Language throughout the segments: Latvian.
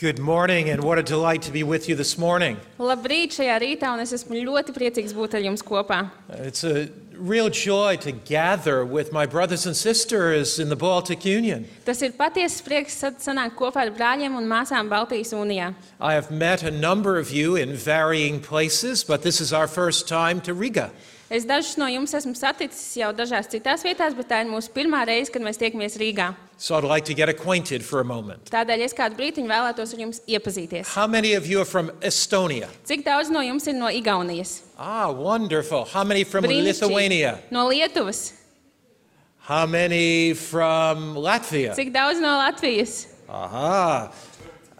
Good morning, and what a delight to be with you this morning. Labrīt šajā rītā, un es esmu ļoti priecīgs būt ar jums kopā. It's a real joy to gather with my brothers and sisters in the Baltic Union. Tas ir patiesas prieks sanākt kopā ar brāļiem un māsām Baltijas Unijā. I have met a number of you in varying places, but this is our first time to Riga. Es dažus no jums esmu saticis jau dažās citās vietās, bet tā ir mūsu pirmā reize, kad mēs tiekamies Rīgā. So I'd like to get acquainted for a moment. Tādēļ es kādu brītiņu vēlētos ar jums iepazīties. How many of you are from Estonia? Cik daudz no jums ir no Igaunijas? Wonderful. How many from Lithuania? No Lietuvas. How many from Latvia? Cik daudz no Latvijas?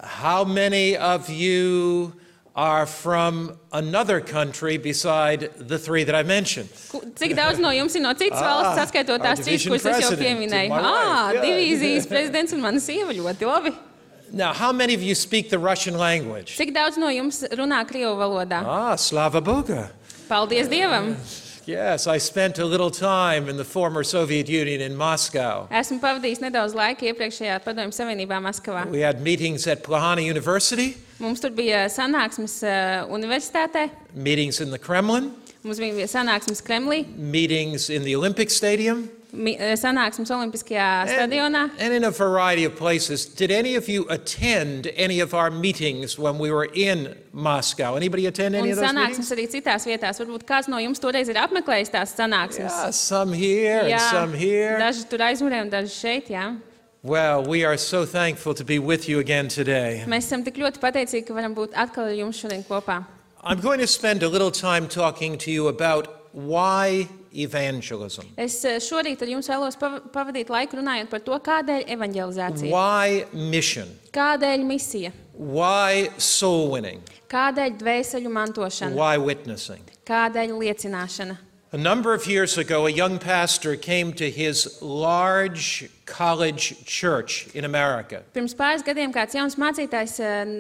How many of you are from another country beside the three that I mentioned? Cik daudz no jums ir no citas valsts, atskaitot tās citas, kuras es jau pieminēju? Divīzijas prezidents un mana sieva, ļoti labi. Now, how many of you speak the Russian language? Cik daudz no jums runā krievu valodā? Slava Boga. Paldies Dievam! Yes, I spent a little time in the former Soviet Union in Moscow. Esmu pavadījis nedaudz laika iepriekšējā Padomju Savienībā Maskavā. We had meetings at Plahana University. Mums tur bija sanāksmes universitātē. Meetings in the Kremlin. Mums bija sanāksmes Kremlī. Meetings in the Olympic Stadium. Sanāksmes Olimpiskajā stadionā. And in a variety of places. Did any of you attend any of our meetings when we were in Moscow? Anybody attend any of those meetings? Un sanāksmes arī citās vietās. Varbūt kāds no jums toreiz ir apmeklējis tās sanāksmes. Yeah, some here and some here. Daži tur aizmugurē un daži šeit, jā. Well, we are so thankful to be with you again today. Mēs esam tik ļoti pateicīgi, ka varam būt atkal ar jums šodien kopā. I'm going to spend a little time talking to you about why evangelism. Es šorīt ar jums vēlos pavadīt laiku runājot par to, kādēļ evanģelizācija. Why mission? Kādēļ misija? Why soul winning? Kādēļ dvēseļu mantošana? Why witnessing? Kādēļ liecināšana? A number of years ago, a young pastor came to his large college church in America. Pirms pāris gadiem kāds jauns mācītājs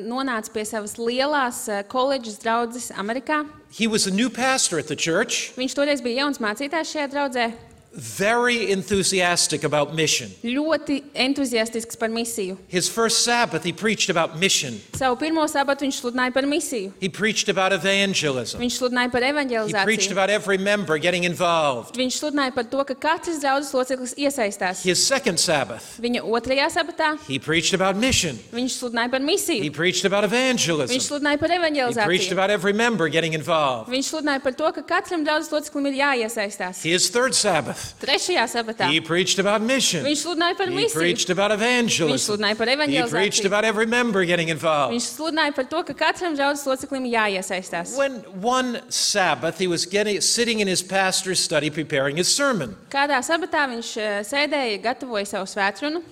nonāca pie savas lielās koledžas draudzes Amerikā. He was a new pastor at the church. Viņš toreiz bija jauns mācītājs šajā draudzē. Very enthusiastic about mission. Ļoti entuziastisks par misiju. His first Sabbath, he preached about mission. Savu pirmo sabatu viņš sludināja par misiju. He preached about evangelism. Viņš sludināja par He evanģelizāciju. preached about every member getting involved. Viņš sludināja par to, ka katrs draudzes loceklis iesaistās. His second Sabbath, Viņa otrajā sabatā he preached about mission. viņš sludināja par He misiju. preached about Viņš evangelism. sludināja par He preached evanģelizāciju. about every member getting involved. Viņš sludināja par to, ka katram draudzes loceklim ir jāiesaistās. His third Sabbath, Trešajā sabatā he preached about mission. viņš sludināja par He misiju. preached about Viņš evangelism. sludināja par He preached evanģelizāciju. about every member getting involved. Viņš sludināja par to, ka katram draudzes loceklim ir jāiesaistās. When one Sabbath, he was sitting in his pastor's study preparing his sermon, Kādā sabatā viņš sēdēja, gatavoja savu svētrunu,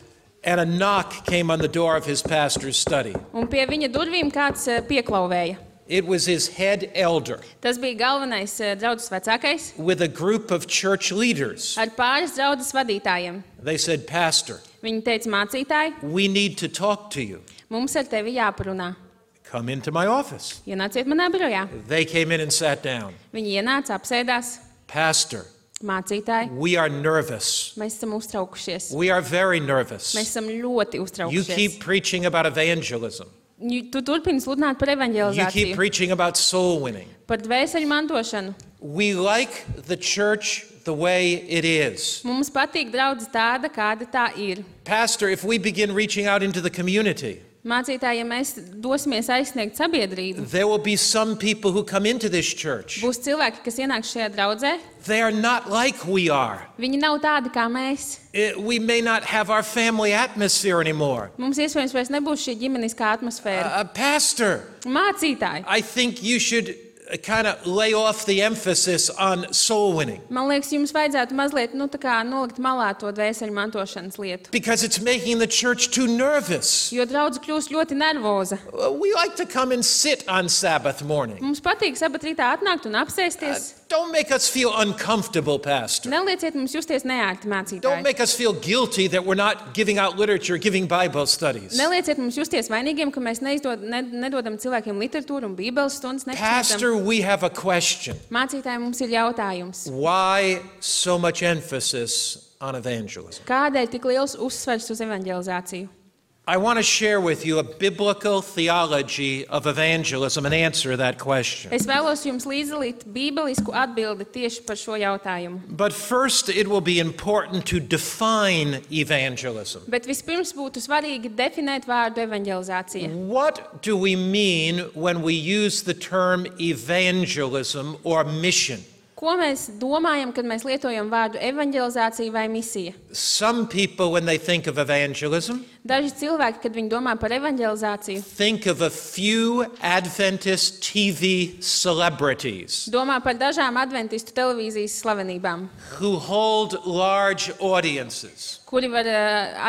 and a knock came on the door of his pastor's study. un pie viņa durvīm kāds pieklauvēja. It was his head elder Tas bija galvenais draudzes vecākais with a group of church leaders. ar pāris draudzes vadītājiem. They said, "Pastor, Viņi teica, mācītāji, we need to talk to you. mums ar tevi jāparunā. Come into my office." Ienāciet manā birojā. They came in and sat down. Viņi ienāca, apsēdās. "Pastor, Mācītāji, we are nervous. mēs esam uztraukušies. We are very nervous. Mēs esam ļoti You uztraukušies. keep preaching about evangelism. Tu turpini sludināt par You keep evanģelizāciju, preaching about soul winning. par dvēseļu mantošanu. We like the church the way it is. Mums patīk draudzes tāda, kāda tā ir. Pastor, if we begin reaching out into the community, Mācītāji, ja mēs dosimies aizsniegt sabiedrību, there will be some people who come into this church. būs cilvēki, kas ienāks šajā draudzē. They are not like we are. Viņi nav tādi kā mēs. We may not have our family atmosphere anymore. Mums iespējams vairs nebūs šī ģimeniskā atmosfēra. Pastor, Mācītāji, I think you should kind of lay off the emphasis on soul winning man liekas, jums vajadzētu mazliet tā kā nolikt malā to dvēseļu mantošanas lietu. because it's making the church too nervous. Jo draudze kļūst ļoti nervoza. We like to come and sit on Sabbath morning. Mums patīk sabat rītā atnākt un apsēsties. Don't make us feel uncomfortable, Pastor. Nelieciet mums justies neērti, Don't mācītāji. make us feel guilty that we're not giving out literature, giving Bible studies. Nelieciet mums justies vainīgiem, ka mēs nedodam cilvēkiem literatūru un bībeles stundas. Pastor, we have a question. Mācītāji, mums ir jautājums. Why so much emphasis on evangelism? Kādēļ tik liels uzsvers uz evanģelizāciju? I want to share with you a biblical theology of evangelism and answer that question. Es vēlos jums līdzdalīt bībelisku atbildi tieši par šo jautājumu. But first, it will be important to define evangelism. Bet vispirms būtu svarīgi definēt vārdu evanģelizācija. What do we mean when we use the term evangelism or mission? Ko mēs domājam, kad mēs lietojam vārdu evanģelizācija vai misija? Some people, when they think of evangelism, Daži cilvēki, kad viņi domā par evanģelizāciju, think of a few Adventist TV celebrities domā par dažām adventistu televīzijas slavenībām, who hold large audiences. kuri var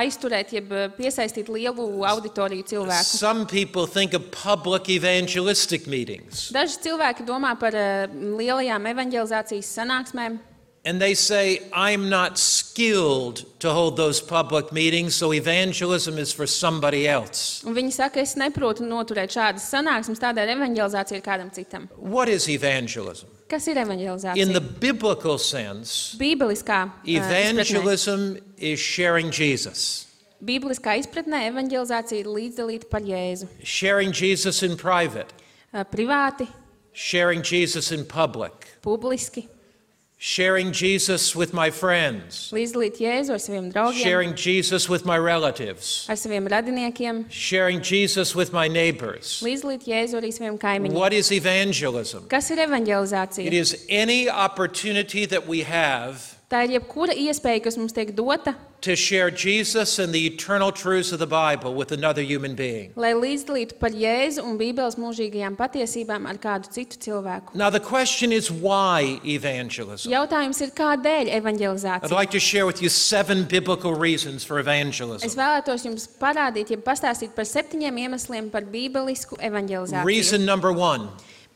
aizturēt, jeb piesaistīt lielu auditoriju cilvēku. Some people think of public evangelistic meetings, Daži cilvēki domā par lielajām evanģelizācijas sanāksmēm, and they say, I'm not skilled to hold those public meetings, so evangelism is for somebody else. un viņi saka, es neprotu noturēt šādas sanāksmes, tādēļ evanģelizācija ir kādam citam. What is evangelism? Kas ir In evanģelizācija? the biblical sense, Bībeliskā izpratnē. evangelism is sharing Jesus. Bībeliskā izpratnē evanģelizācija ir līdzdalīta par Jēzu. Sharing Jesus in private, Privāti, sharing Jesus in public, publiski, sharing Jesus with my friends, līdzdalīt Jēzu ar saviem draugiem, sharing Jesus with my relatives, ar saviem radiniekiem, sharing Jesus with my neighbors. līdzdalīt Jēzu arī saviem kaimiņiem. What is evangelism? Kas ir It evanģelizācija? is any opportunity that we have Tā ir jebkura iespēja, kas mums tiek dota, to share Jesus and the eternal truths of the Bible with another human being. lai līdzdalītu par Jēzu un Bībeles mūžīgajām patiesībām ar kādu citu cilvēku. Now the question is why evangelism? Jautājums ir, kādēļ I'd evanģelizācija? like to share with you 7 biblical reasons for Es evangelism. vēlētos jums parādīt, jeb pastāstīt par 7 iemesliem par bībelisku evanģelizāciju. Reason number 1.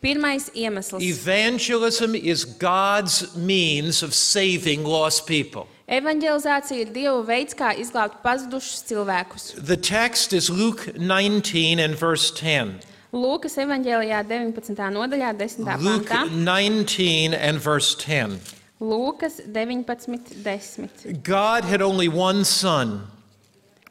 Pirmais iemesls. Evangelism is God's means of saving lost people. Evanģelizācija ir Dieva veids, kā izglābt pazudušus cilvēkus. The text is Luke 19 and verse 10. Lūkas evanģēlijā 19. nodaļā 10. Luke pantā. 19 and verse 10. Lūkas 19:10. God had only one son,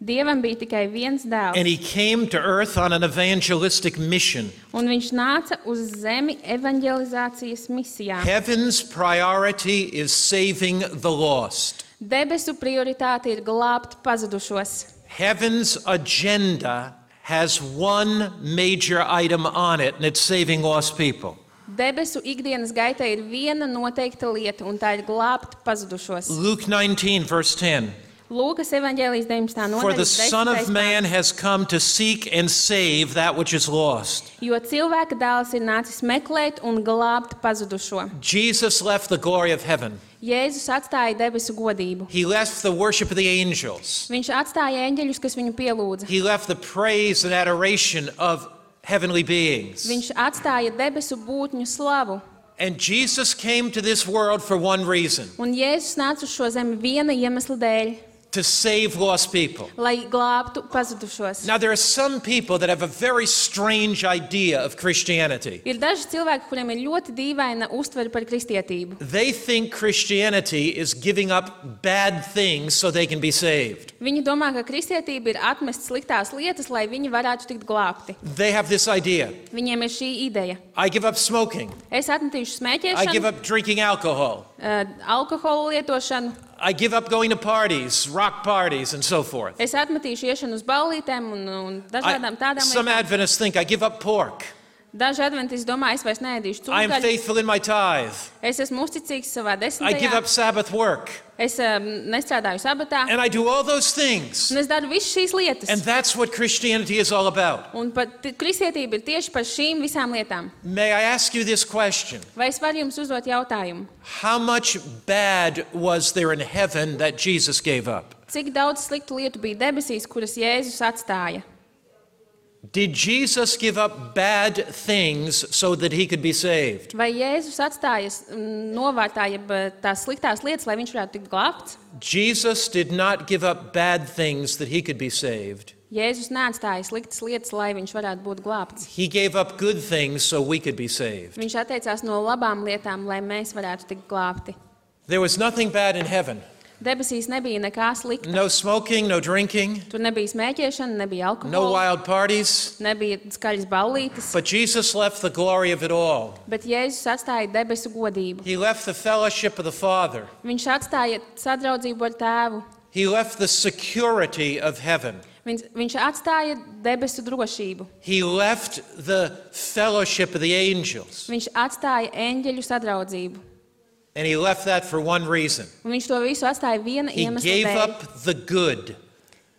Dievam bija tikai viens and dēls, he came to earth on an evangelistic mission. un viņš nāca uz zemi evanģelizācijas misijā. Heaven's priority is saving the lost. Debesu prioritāte ir glābt pazudušos. Heaven's agenda has one major item on it, and it's saving lost people. Debesu ikdienas gaitā ir viena noteikta lieta, un tā ir glābt pazudušos. Luke 19, verse 10. Lūkas evanģēlijas 19. For the nodaļas Son of 10. Man has come to seek and save that which is lost. Jo cilvēka dēls ir nācis meklēt un glābt pazudušo. Jesus left the glory of heaven. Jēzus atstāja debesu godību. He left the worship of the angels. Viņš atstāja eņģeļus, kas viņu pielūdza. He left the praise and adoration of heavenly beings. Viņš atstāja debesu būtņu slavu. And Jesus came to this world for one reason, Un Jēzus nāca uz šo zemi viena iemesla dēļ, to save lost people. lai glābtu pazudušos. Now, there are some people that have a very strange idea of Christianity. Ir daži cilvēki, kuriem ir ļoti dīvaina uztvere par kristietību. They think Christianity is giving up bad things so they can be saved. Viņi domā, ka kristietība ir atmest sliktās lietas, lai viņi varētu tikt glābti. They have this idea. Viņiem ir šī ideja. I give up smoking. Es atmetīšu I give smēķēšanu, up drinking alcohol. Alkoholu lietošanu, I give up going to parties, rock parties, and so forth. es atmetīšu iešanu uz ballītēm un dažādām tādām Some lietām. Adventists think I give up pork. Daži adventisti domā, es vairs neēdīšu I am cūgaļu, faithful in my tithe. es esmu uzticīgs savā I give desmitajā, up Sabbath work. es nestrādāju sabatā, And I do all those things. un es daru visas šīs lietas. And that's what Christianity is all about. Un pat kristietība ir tieši par šīm visām lietām. May I ask you this question? Vai es varu jums uzdot jautājumu? How much bad was there in heaven that Jesus gave up? Cik daudz sliktu lietu bija debesīs, kuras Jēzus atstāja? Did Jesus give up bad things so that he could be saved? Vai Jēzus atstāja novārtā, jeb tās sliktās lietas, lai viņš varētu tikt glābts? Jesus did not give up bad things that he could be saved. Jēzus neatstāja sliktas lietas, lai viņš varētu būt glābts. He gave up good things so we could be saved. Viņš atteicās no labām lietām, lai mēs varētu tikt glābti. There was nothing bad in heaven. Debesīs nebija nekā slikta. No smoking, no drinking, Tur nebija smēķēšana, nebija no alkohola, wild parties. nebija skaļas ballītes, But Jesus left the glory of it all. bet Jēzus atstāja debesu godību. He left the fellowship of the Father. Viņš atstāja sadraudzību ar Tēvu. He left the security of heaven. Viņš atstāja debesu drošību. He left the fellowship of the angels. Viņš atstāja eņģeļu sadraudzību. And he left that for one reason. Un viņš to visu atstāja viena He iemesla gave dēļ. up the good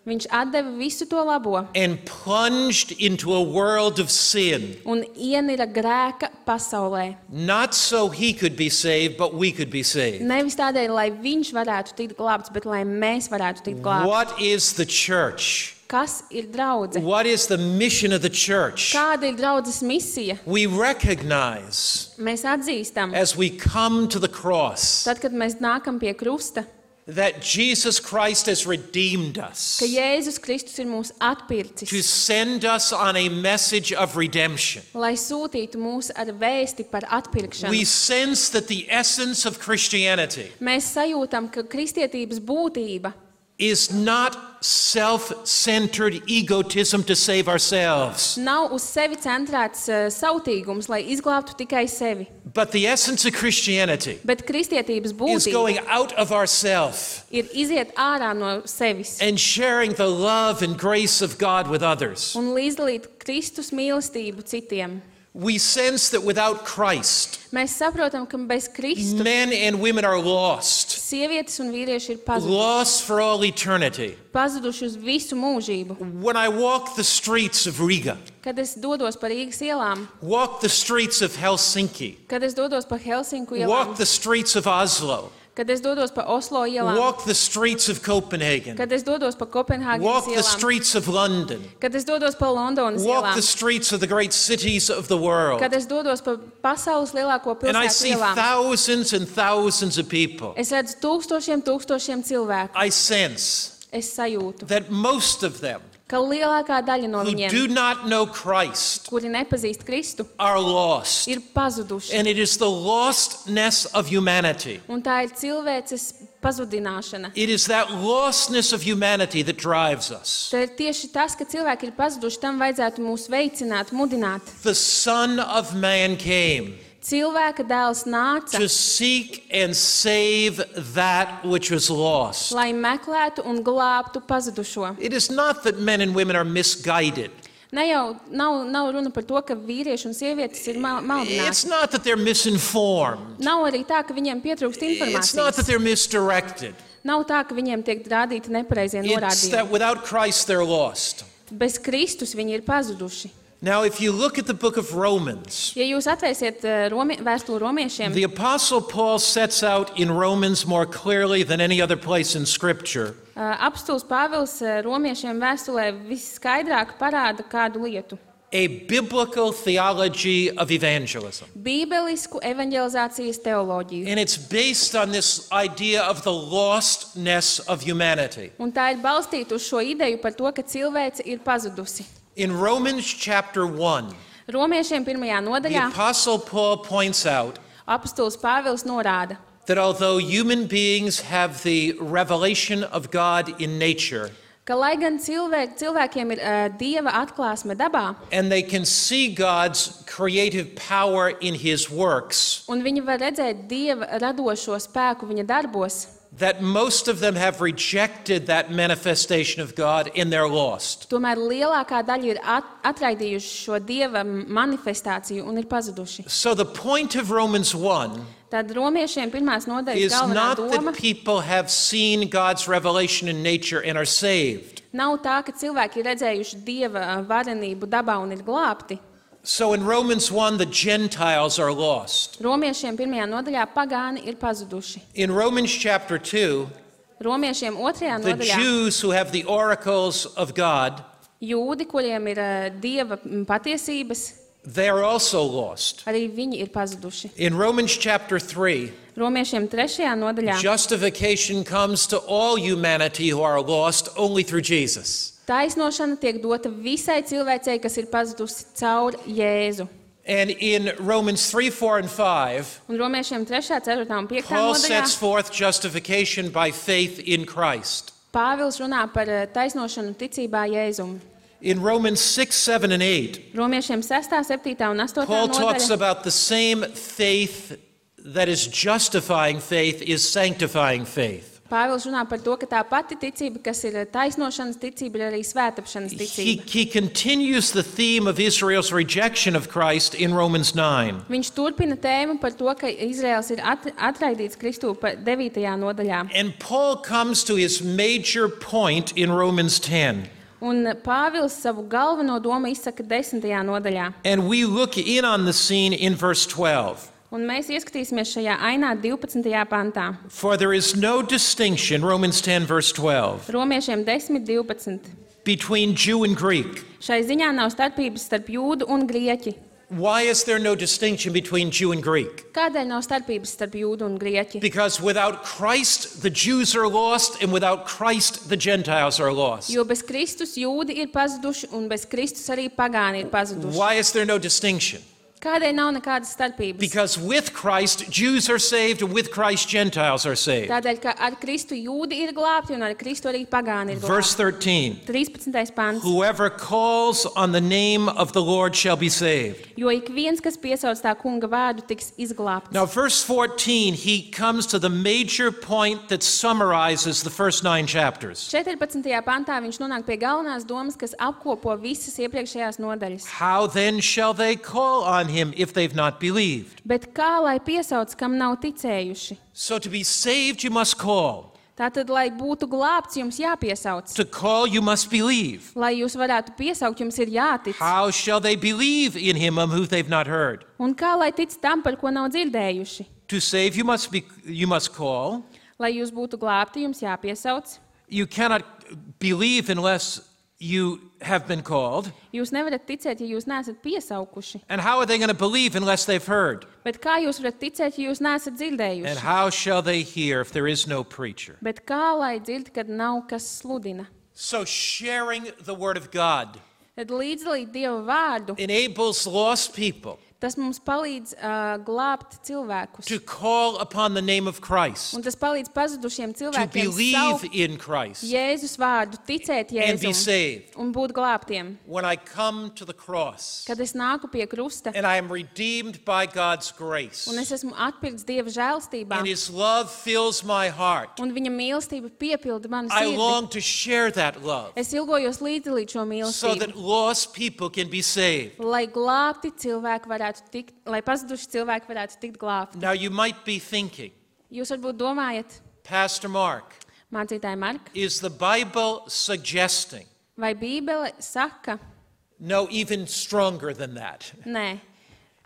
Viņš atdeva visu to labo and plunged into a world of sin. un ienira grēka pasaulē. Not so he could be saved, but we could be saved. Nevis tādēļ, lai viņš varētu tikt glābts, bet lai mēs varētu tikt glābti. What is the church? Kas ir draudze? What is the mission of the church? Kāda ir draudzes misija? We recognize Mēs atzīstam, as we come to the cross tad, kad mēs nākam pie krusta, that Jesus Christ has redeemed us ka Jēzus Kristus ir mūs to atpircis, send us on a message of redemption. lai sūtītu mūs ar vēsti par atpirkšanu. We sense that the essence of Christianity Mēs sajūtam, ka kristietības būtība is not self-centered egotism to save ourselves, nav uz sevi centrēts sautīgums, lai izglābtu tikai sevi. but the essence of Christianity Bet kristietības is būtība going out of ourself ir iziet ārā no sevis and sharing the love and grace of God with others. un līdzdalīt Kristus mīlestību citiem. We sense that without Christ, Mēs saprotam, ka bez Kristus men and women are lost, sievietes un vīrieši ir lost for all eternity. pazuduši uz visu mūžību. When I walk the streets of Riga, Kad es dodos pa Rīgas ielām, walk the streets of Helsinki, kad es dodos pa Helsinku walk ielām, the streets of Oslo, kad es dodos pa Oslo ielām, walk the streets of Copenhagen, kad es dodos pa Kopenhāgenes walk the ielām, streets of London, kad es dodos pa Londonas walk ielām, the streets of the great cities of the world, kad es dodos pa pasaules lielāko and I pilsētu see ielām. thousands and thousands of people. Es redzu tūkstošiem cilvēku. I sense Es sajūtu, that most of them ka lielākā daļa no who viņiem, do not know Christ kuri nepazīst Kristu, are lost. ir pazuduši. And it is the lostness of humanity. Un tā ir cilvēces pazudināšana. It is that lostness of humanity that drives us. Tā ir tieši tas, ka cilvēki ir pazuduši, tam vajadzētu mūs veicināt, mudināt. The Son of Man came Cilvēka dēls nāca, to seek and save that which was lost. lai meklētu un glābtu pazudušo. It is not that men and women are misguided. Ne jau nav runa par to, ka vīrieši un sievietes ir It's maldināti. not that they're misinformed. Nav arī tā, ka viņiem pietrūkst It's not that informācijas. they're misdirected. Nav tā, ka viņiem tiek rādīti nepareizie It's that norādījumi. without Christ they're lost. Bez Kristus viņi ir pazuduši. Now, if you look at the book of Romans, Ja jūs atvērsiet vēstuli romiešiem, the Apostle Paul sets out in Romans more clearly than any other place in Scripture apstults Pāvils romiešiem vēstulē visskaidrāk parāda kādu lietu. a biblical theology of evangelism. Bībelisku evanģelizācijas teoloģiju. And it's based on this idea of the lostness of humanity. Un tā ir balstīta uz šo ideju par to, ka cilvēce ir pazudusi. In Romans chapter 1, Romiešiem 1. the nodaļā Apostle Paul points out apstulis Pāvils norāda, that although human beings have the revelation of God in nature, ka lai gan cilvēkiem ir Dieva atklāsme dabā, and they can see God's creative power in his works, un viņi var redzēt Dieva radošo spēku viņa darbos, that most of them have rejected that manifestation of God and they're lost. tomēr lielākā daļa ir atraidījuši šo Dieva manifestāciju un ir pazuduši. So the point of Romans 1 Tad romiešiem 1. nodaļas is galvenā not doma that people have seen God's revelation in nature and are saved. nav tā, ka cilvēki ir redzējuši Dieva varenību dabā un ir glābti. So in Romans 1, the Gentiles are lost. Romiešiem 1. nodaļā pagāni ir pazuduši. In Romans chapter 2, Romiešiem 2. the nodaļā Jews who have the oracles of God, jūdi, kuriem ir Dieva patiesības, they are also lost. arī viņi ir pazuduši. In Romans chapter 3, Romiešiem 3. nodaļā justification comes to all humanity who are lost only through Jesus. taisnošana tiek dota visai cilvēcei, kas ir pazudusi caur Jēzu. And in Romans 3, 4, and 5, Un Romiešiem 3., 4. un 5. Paul nodaļā sets forth justification by faith in Christ. Pāvils runā par taisnošanu ticībā Jēzum. In Romans 6, 7, and 8, Romiešiem 6., 7. un 8. Paul talks nodaļa about the same faith that is justifying faith is sanctifying faith. Pāvils runā par to, ka tā pati ticība, kas ir taisnošanas ticība, ir arī svētāpšanas ticība. He continues the theme of Israel's rejection of Christ in Romans 9. Viņš turpina tēmu par to, ka Izraels ir atraidīts Kristū 9. nodaļā. And Paul comes to his major point in Romans 10. Un Pāvils savu galveno domu izsaka 10. nodaļā. And we look in on the scene in verse 12. Un mēs ieskatīsimies šajā ainā 12. pantā. For there is no distinction, Romans 10, verse 12, Romiešiem 10:12. between Jew and Greek. Šai ziņā nav starpības starp jūdu un grieķi. Why is there no distinction between Jew and Greek? Kādēļ nav starpības starp jūdu un grieķi? Because without Christ, the Jews are lost, and without Christ, the Gentiles are lost. Jo bez Kristus jūdi ir pazuduši un bez Kristus arī pagāni ir pazuduši. Why is there no distinction? Kādēļ nav nekādas starpības? Because with Christ, Jews are saved, and with Christ, Gentiles are saved. Tādēļ, ka ar Kristu jūdi ir glābti un ar Kristu arī pagāni ir Verse glābti. 13. 13. pants. Whoever calls on the name of the Lord shall be saved. Jo ik viens, kas piesauc tā kunga vārdu, tiks izglābts. Now, verse 14, he comes to the major point that summarizes the first 9 chapters. 14. pantā viņš nonāk pie galvenās domas, kas apkopo visas iepriekšējās nodaļas. How then shall they call on him if they've not believed? Bet kā lai piesauc, kam nav ticējuši? So to be saved, you must call. Tātad, lai būtu glābts, jums jāpiesauc. To call, you must believe. Lai jūs varētu piesaukt, jums ir jātic. How shall they believe in him of whom they've not heard? Un kā lai tic tam, par ko nav dzirdējuši? To save, you must call. Lai jūs būtu glābti, jums jāpiesauc. You cannot believe unless you have been called. Jūs nevarat ticēt, ja jūs neesat piesaukuši. And how are they going to believe unless they've heard? Bet kā jūs varat ticēt, ja jūs neesat And dzirdējuši? how shall they hear if there is no preacher? Bet kā lai dzird, kad nav kas sludina? So sharing the word of God Tad līdzdalīt Dieva vārdu, enables lost people tas mums palīdz glābt cilvēkus. to call upon the name of Christ, Un tas palīdz pazudušiem to cilvēkiem believe saukt in Christ, Jēzus vārdu, ticēt and be Jēzum saved. un būt glābtiem. When I come to the cross Kad es nāku pie krusta and I am redeemed by God's grace, un es esmu atpirkts Dieva žēlstībā and His love fills my heart, un viņa mīlestība piepilda manu I sirdi, long to share that love es ilgojos līdzdalīt šo so mīlestību, that lost people can be saved. lai glābti cilvēki varētu tikt, lai pazuduši cilvēki varētu tikt glābti. Now you might be thinking, Jūs varbūt domājat, Pastor Mark, mācītāji Mark, is the Bible suggesting? vai Bībele saka, No, even stronger than that. nē,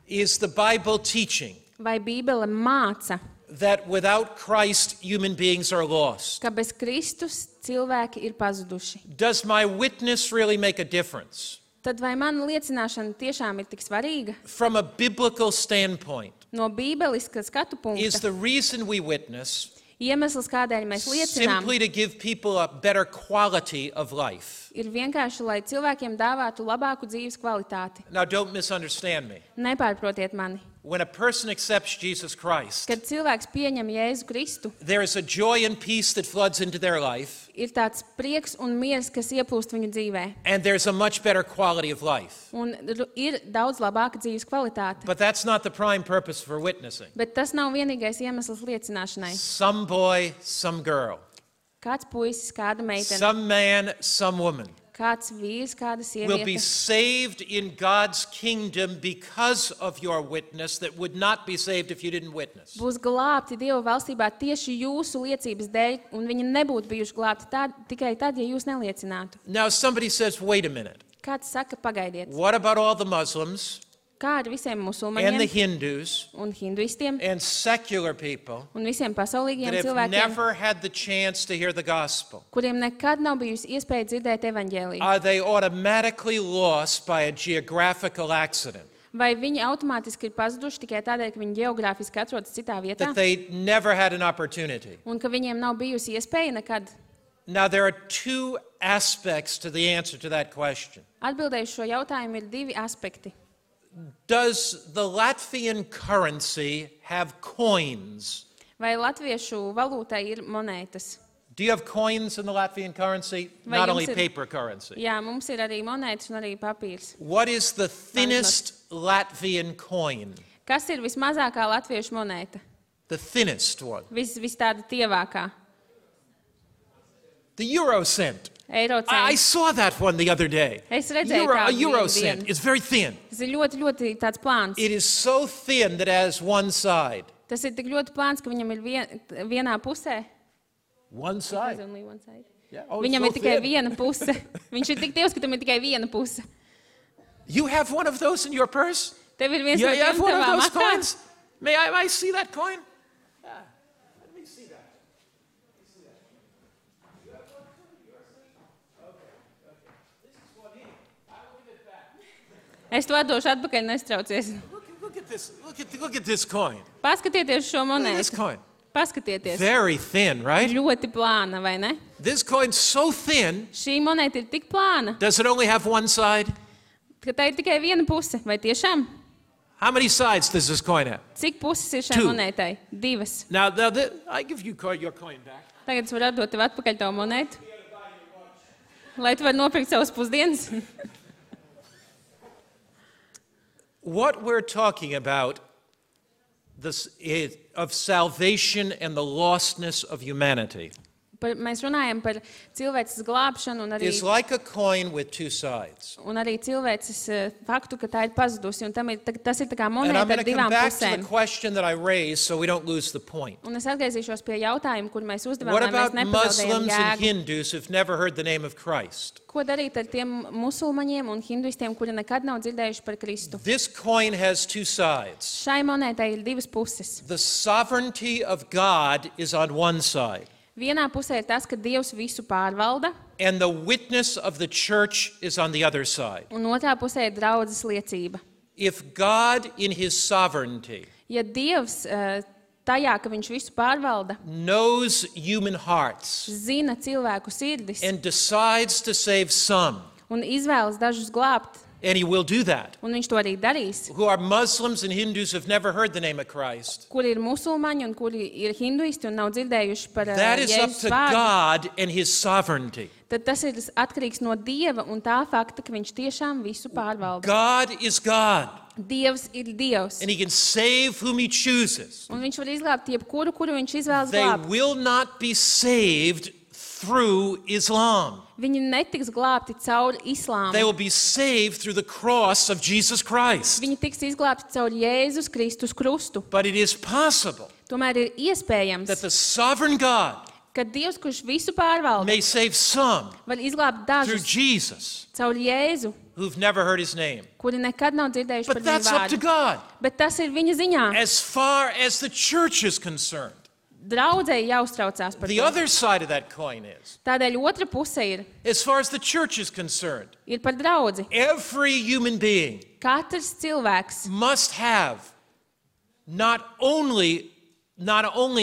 Is the Bible teaching vai Bībele māca, that without Christ, human beings are lost? ka bez Kristus cilvēki ir pazuduši? Does my witness really make a difference? Tad vai mana liecināšana tiešām ir tik svarīga? From a biblical standpoint, No bībeliska skatu is punkta, the reason we witness iemesls, kādēļ mēs liecinām, simply to give people a better quality of life? ir vienkārši, lai cilvēkiem dāvātu labāku dzīves kvalitāti. Now, don't misunderstand me. Nepārprotiet mani. When a person accepts Jesus Christ, Kad cilvēks pieņem Jēzu Kristu, there is a joy and peace that floods into their life, ir tāds prieks un miers, kas ieplūst viņu dzīvē. and there's a much better quality of life. Un ir daudz labāka dzīves kvalitāte. But that's not the prime purpose for witnessing. Bet tas nav vienīgais iemesls liecināšanai. Some boy, some girl, Kāds puisis, kāda meitene, some man, some woman kāds vīrs, kāda will be sieviete saved in God's kingdom because of your witness that would not be saved if you didn't witness. būs glābti Dieva valstībā tieši jūsu liecības dēļ, un viņi nebūtu bijuši glābti tikai tad, ja jūs neliecinātu. Now, somebody says, wait a minute. Kāds saka, pagaidiet, What about all the Muslims kā ar visiem and the musulmaņiem Hindus un hinduistiem and secular people un visiem pasaulīgiem that have cilvēkiem, never had the chance to hear the gospel? kuriem nekad nav bijusi iespēja dzirdēt evaņģēliju? Are they automatically lost by a geographical accident? Vai viņi automātiski ir pazuduši tikai tādēļ, ka viņi geogrāfiski atrodas citā vietā That they never had an opportunity? un ka viņiem nav bijusi iespēja nekad? Now, there are two aspects to the answer to that question. Atbildēju šo jautājumu ir divi aspekti. Does the Latvian currency have coins? Vai latviešu valūtai ir monētas? Do you have coins in the Latvian currency? Vai Not jums only ir- paper currency. Jā, mums ir arī monētas un arī papīrs. What is the thinnest Latvian coin? Kas ir vismazākā latviešu monēta? The thinnest one. Vis tāda tievākā. The euro cent. Eiro I cents. saw that one the other day. Es redzēju A tādu euro vienu cent dienu. is very thin. Tas ir ļoti, ļoti tāds plāns. It is so thin that it has one side. Tas ir tik ļoti plāns, ka viņam ir vienā pusē. One side. Only one side. Yeah. Oh, it's Viņam so ir tikai thin. viena puse. Viņš ir tik tievs, ka tam ir tikai viena puse. You have one of those in your purse? Tev ir viens You no have tiem one of tavā those matā. coins? May I see that coin? Yeah. Let me see that. You have one too? Yours too? Okay. This is one here. I will give it back. Es to atdošu atpakaļ, nestraucies. Look at this. Look at this coin. Paskatieties šo Look at this monētu. coin. Paskatieties. Very thin, right? Ļoti plāna, vai ne? This coin's so thin. Šī monēta ir tik plāna, Does it only have one side? ka tā ir tikai viena puse. Vai tiešām? How many sides does this coin have? Cik puses ir šai Two. monētai? Divas. Now I give you your coin back. Tagad es varu atdot tev atpakaļ tavu monētu. Lai tu vari nopirkt savus pusdienas. What we're talking about this is of salvation and the lostness of humanity Mēs runājam par cilvēces glābšanu un is like a coin with two sides. arī cilvēces faktu, ka tā ir pazudusi. Un tas ir tā kā And I'm monēta going ar to come divām back to the pusēm. question that I raised so we don't lose the point. Un es atgriezīšos pie jautājuma, kur mēs uzdevām, What lai mēs about nepazaudējam Muslims and jēgu. Hindus who've never heard the name of Christ? Ko darīt ar tiem musulmaņiem un hinduistiem, kuri nekad nav dzirdējuši par Kristu? This coin has two sides. Šai monētai ir divas puses. The sovereignty of God is on one side, Vienā pusē ir tas, ka Dievs visu pārvalda, and the witness of the church is on the other side. un otrā pusē ir draudzes liecība. If God, in his sovereignty, Ja Dievs tajā, ka viņš visu pārvalda, knows human hearts zina cilvēku sirdis and decides to save some, un izvēlas dažus glābt, and he will do that, un viņš to arī darīs, who are Muslims and Hindus who've never heard the name of Christ, kuri ir musulmaņi un kuri ir hinduisti un nav dzirdējuši par that is up Jēzus to vārdu, God and his sovereignty. tad tas ir atkarīgs no Dieva un tā fakta, ka viņš tiešām visu pārvalda. God is God, Dievs ir Dievs, and he can save whom he chooses. un viņš var izglābt jebkuru, kuru viņš izvēlas They glābt. will not be saved through Islam. Viņi netiks glābti caur islāmu. They will be saved through the cross of Jesus Christ. Viņi tiks izglābti caur Jēzus Kristus krustu. But it is possible Tomēr ir iespējams, that the sovereign God ka Dievs, kurš visu pārvalda, may save some var izglābt through dažus Jesus caur Jēzu, who've never heard his name. kuri nekad nav dzirdējuši par But viņu that's up to vārdu. God. Bet tas ir viņa ziņā. As far as the church is concerned, Draudzēji jāuztraucās par the to. other side of that coin is, Tādēļ otra puse as far as the church is concerned, ir par draudzi. every human being Katrs cilvēks must have not only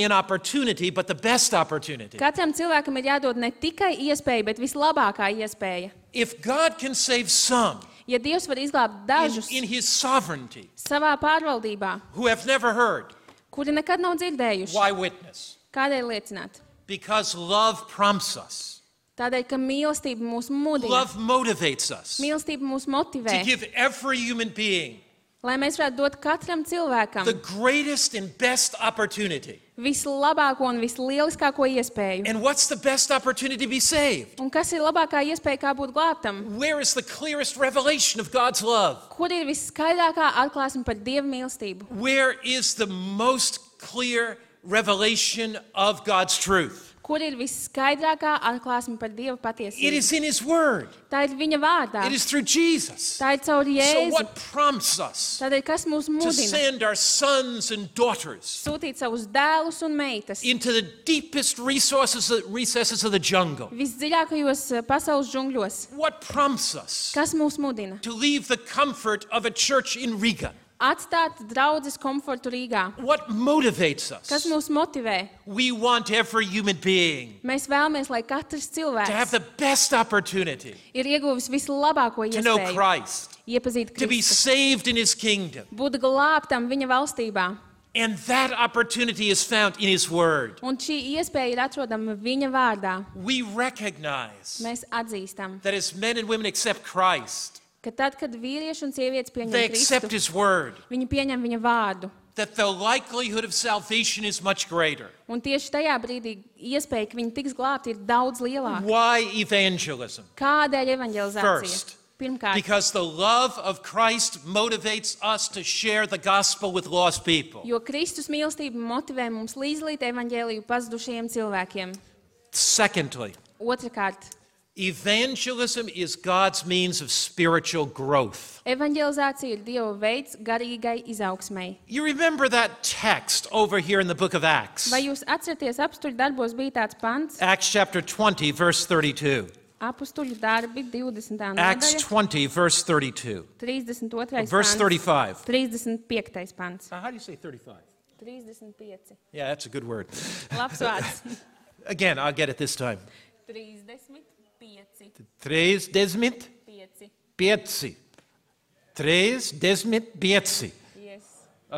an opportunity, but the best opportunity. Katram cilvēkam ir jādod ne tikai iespēja, bet vislabākā iespēja. If God can save some Ja Dievs var izglābt dažus in his sovereignty savā pārvaldībā, who have never heard, kuri nekad nav dzirdējuši, why witness? kādēļ liecināt? Because love prompts us. Tādēļ, ka mīlestība mūs mudina, Love motivates us mīlestība mūs to motivē, give every human being lai mēs varētu dot katram cilvēkam the greatest and best opportunity. vislabāko un vislieliskāko iespēju. And what's the best opportunity to be saved? Un kas ir labākā iespēja, kā būt glābtam? Where is the clearest revelation of God's love? Kur ir viskaidrākā atklāsme par Dieva mīlestību? Where is the most clear revelation of God's truth? Kur ir viskaidrākā atklāsme par Dieva It patiesību? is in his word. Tā ir viņa vārdā. It is through Jesus. Tā ir caur So Jēzu. what prompts us Tādēļ, kas mūs to mudina send our sons and daughters sūtīt savus dēlus un meitas into the deepest recesses of the jungle? visdziļākajos pasaules džungļos? What prompts us Kas mūs mudina? to leave the comfort of a church in Riga Atstāt draudzes komfortu Rīgā. What motivates Kas us? mūs motivē? We want every human being Mēs vēlamies, lai katrs to have cilvēks the best opportunity ir ieguvis vislabāko to know iespēju Christ, iepazīt to be Kristu, saved in His kingdom. būt glābtam viņa valstībā. And that opportunity is found in His Word. Un šī iespēja ir atrodama viņa vārdā. We recognize Mēs atzīstam, that as men and women accept Christ, ka tad, kad vīrieši un sievietes they pieņem accept Kristu, His Word, viņi pieņem viņa vārdu. that the likelihood of salvation is much greater. Un tieši tajā brīdī iespēja, ka viņi tiks glābti, ir daudz lielāka. Why evangelism? Kādēļ evanģelizācija? First, Pirmkārt, because the love of Christ motivates us to share the gospel with lost people. jo Kristus mīlestība motivē mums līdzlīt evanģēliju pazudušajiem cilvēkiem. Secondly, Otrakārt, evangelism is God's means of spiritual growth. evanģelizācija ir Dieva veids garīgai izaugsmei. You remember that text over here in the book of Acts? Vai jūs atceraties, apstuļu darbos bija tāds pants? Acts chapter 20, verse 32. Apstuļu darbi 20. Acts nodaļa, 20, verse 32. 32. Verse pants, 35. 35. pants. How do you say 35? 35. Yeah, that's a good word. Labs vārds. Again, I'll get it this time. 35. 35. 5. 35. Yes.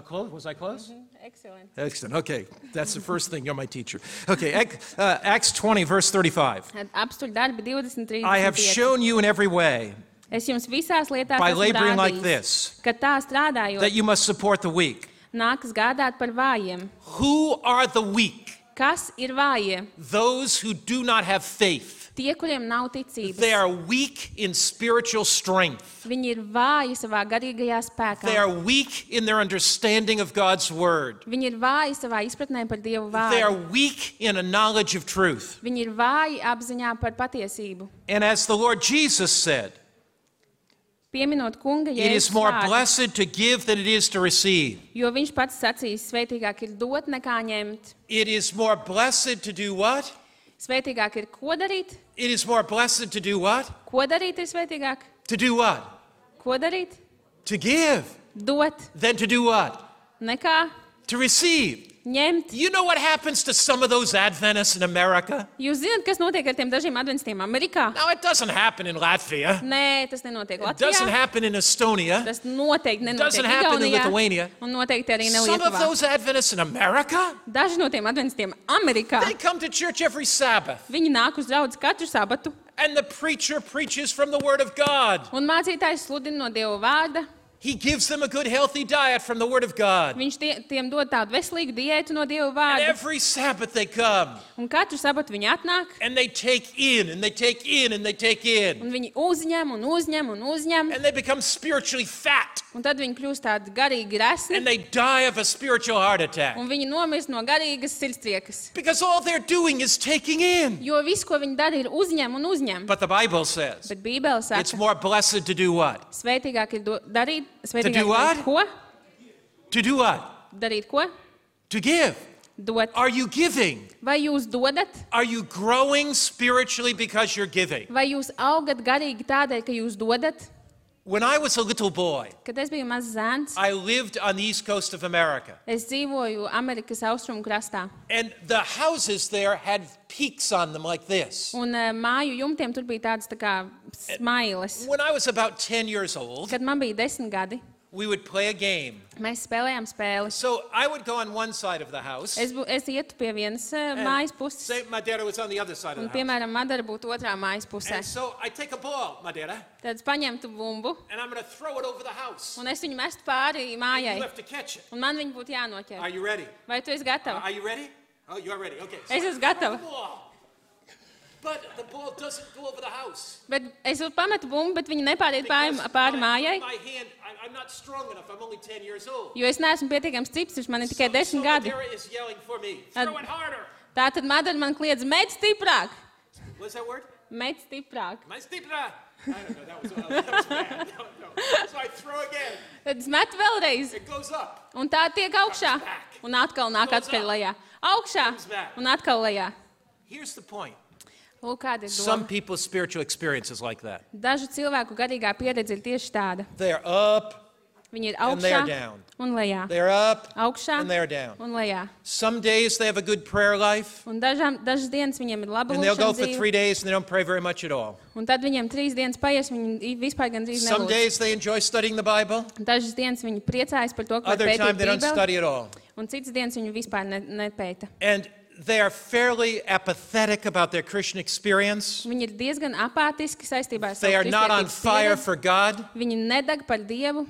Close? Was I close? Excellent. Excellent. Okay, that's the first thing. You're my teacher. Okay, Acts 20, verse 35. Apstuļu darbi 23. I have shown you in every way, Es jums visās lietās by esmu laboring like rādījis, this, ka tā strādājot, that you must support the weak. nākas gādāt par vājiem. Who are the weak? Kas ir vājie? Those who do not have faith. Tie, kuriem nav ticības. They are weak in spiritual strength. Viņi ir vāji savā garīgajā spēkā. They are weak in their understanding of God's word. Viņi ir vāji savā izpratnē par Dievu They are vārdu. weak in a knowledge of truth. Viņi ir vāji apziņā par patiesību. And as the Lord Jesus said, Pieminot kunga it is Jēzus more vārdu, blessed to give than it is to receive. jo viņš pats sacīs, svētīgāk ir dot nekā ņemt. It is more blessed to do what? Svētīgāk ir ko darīt? It is more blessed to do what? Ko darīt ir svētīgāk? To do what? Ko darīt? To give. Dot Then to do what? nekā To receive. ņemt. You know what happens to some of those Adventists in America? Jūs zināt, kas notiek ar tiem dažiem adventistiem Amerikā? Now, it doesn't happen in Latvia. Nē, tas nenotiek It doesn't Latvijā. happen in Estonia. Tas noteikti nenotiek doesn't happen in Igaunijā. Lithuania. Un noteikti arī ne Some of Lietuvā. those Adventists in America, Daži no tiem adventistiem Amerikā, they come to church every Sabbath. viņi nāk uz draudzi katru sabatu, And the preacher preaches from the Word of God. un mācītājs sludina no Dieva vārda. He gives them a good, healthy diet from the Word of God. Viņš tiem dod tādu veselīgu diētu no Dieva And vārda. every Sabbath they come. Un katru sabatu viņi atnāk, And they take in, and they take in, and they take in. un viņi uzņem, un uzņem, un uzņem. And they become spiritually fat. Un tad viņi kļūst tādi garīgi resni, And they die of a spiritual heart attack. un viņi nomirst no garīgas sirdstriekas. Because all they're doing is taking in. Jo viss, ko viņi dara, ir uzņem un uzņem. But the Bible says Bet Bībele it's saka, more blessed to do what? svētīgāk ir darīt, To svētīgāk do ir what? darīt ko? To do what? Darīt ko? To give. Dot. Are you giving? Vai jūs dodat? Are you growing spiritually because you're giving? Vai jūs augat garīgi tādēļ, ka jūs dodat? When I was a little boy, Kad es biju mazs zēns, I lived on the east coast of America. es dzīvoju Amerikas austrumu krastā. And the houses there had peaks on them like this. Un māju jumtiem tur bija tādas tā kā smailes. When I was about 10 years old, Kad man bija 10 gadi, we would play a game. mēs spēlējām spēli. So I would go on one side of the house. Es ietu pie vienas mājas puses, Say Madeira was on the other side of un, the house. piemēram, Madara būtu otrā mājas pusē. And so I take a ball, Madeira, Tad es paņemtu bumbu, and I'm going to throw it over the house. un es viņu mestu pāri You mājai, have to catch it. un man viņa būtu Are jānoķer. you ready? Vai tu esi gatava? Are you ready? Oh, you're ready. Okay. Es I esmu throw gatava. the ball. But the ball doesn't go over the house. Bet es pametu bumbu, bet viņa nepāriet pāri mājai, my hand, I'm not strong enough. I'm only 10 years old. jo es neesmu pietiekams stiprs, man ir tikai 10 gadi. Madeira is yelling for me. Tad- Throw it harder. Tātad Madara man kliedz, met stiprāk, What's that word? met stiprāk. My stipra. I don't know. That was bad. No. So I throw again. Tad es metu vēlreiz, It goes up. un tā tiek augšā, un atkal nāk atpakaļ lejā. Augšā un atkal lejā. Here's the point. Lūk, kāda ir Some doma. people's spiritual experience is like that. Dažu cilvēku garīgā pieredze ir tieši tāda. They're up Viņi ir and they're augšā down. un lejā. They're up Augšā and they're down. un lejā. Some days they have a good prayer life, Un dažas dienas viņiem ir laba and they'll go lūkšanas for 3 dzīve. days and they don't pray very much at all. Un tad viņiem 3 dienas paies, viņi vispār gandrīz Some nelūdz. days they enjoy studying the Bible, Dažas dienas viņi priecājas par to, ka var other pētīt time they don't Bībeli, study at all. un citas dienas viņi vispār nepēta. And they are fairly apathetic about their Christian experience. Viņi ir diezgan apātiski saistībā ar They savu are not on kristietības fire pieredzi. for God. Viņi nedeg par Dievu.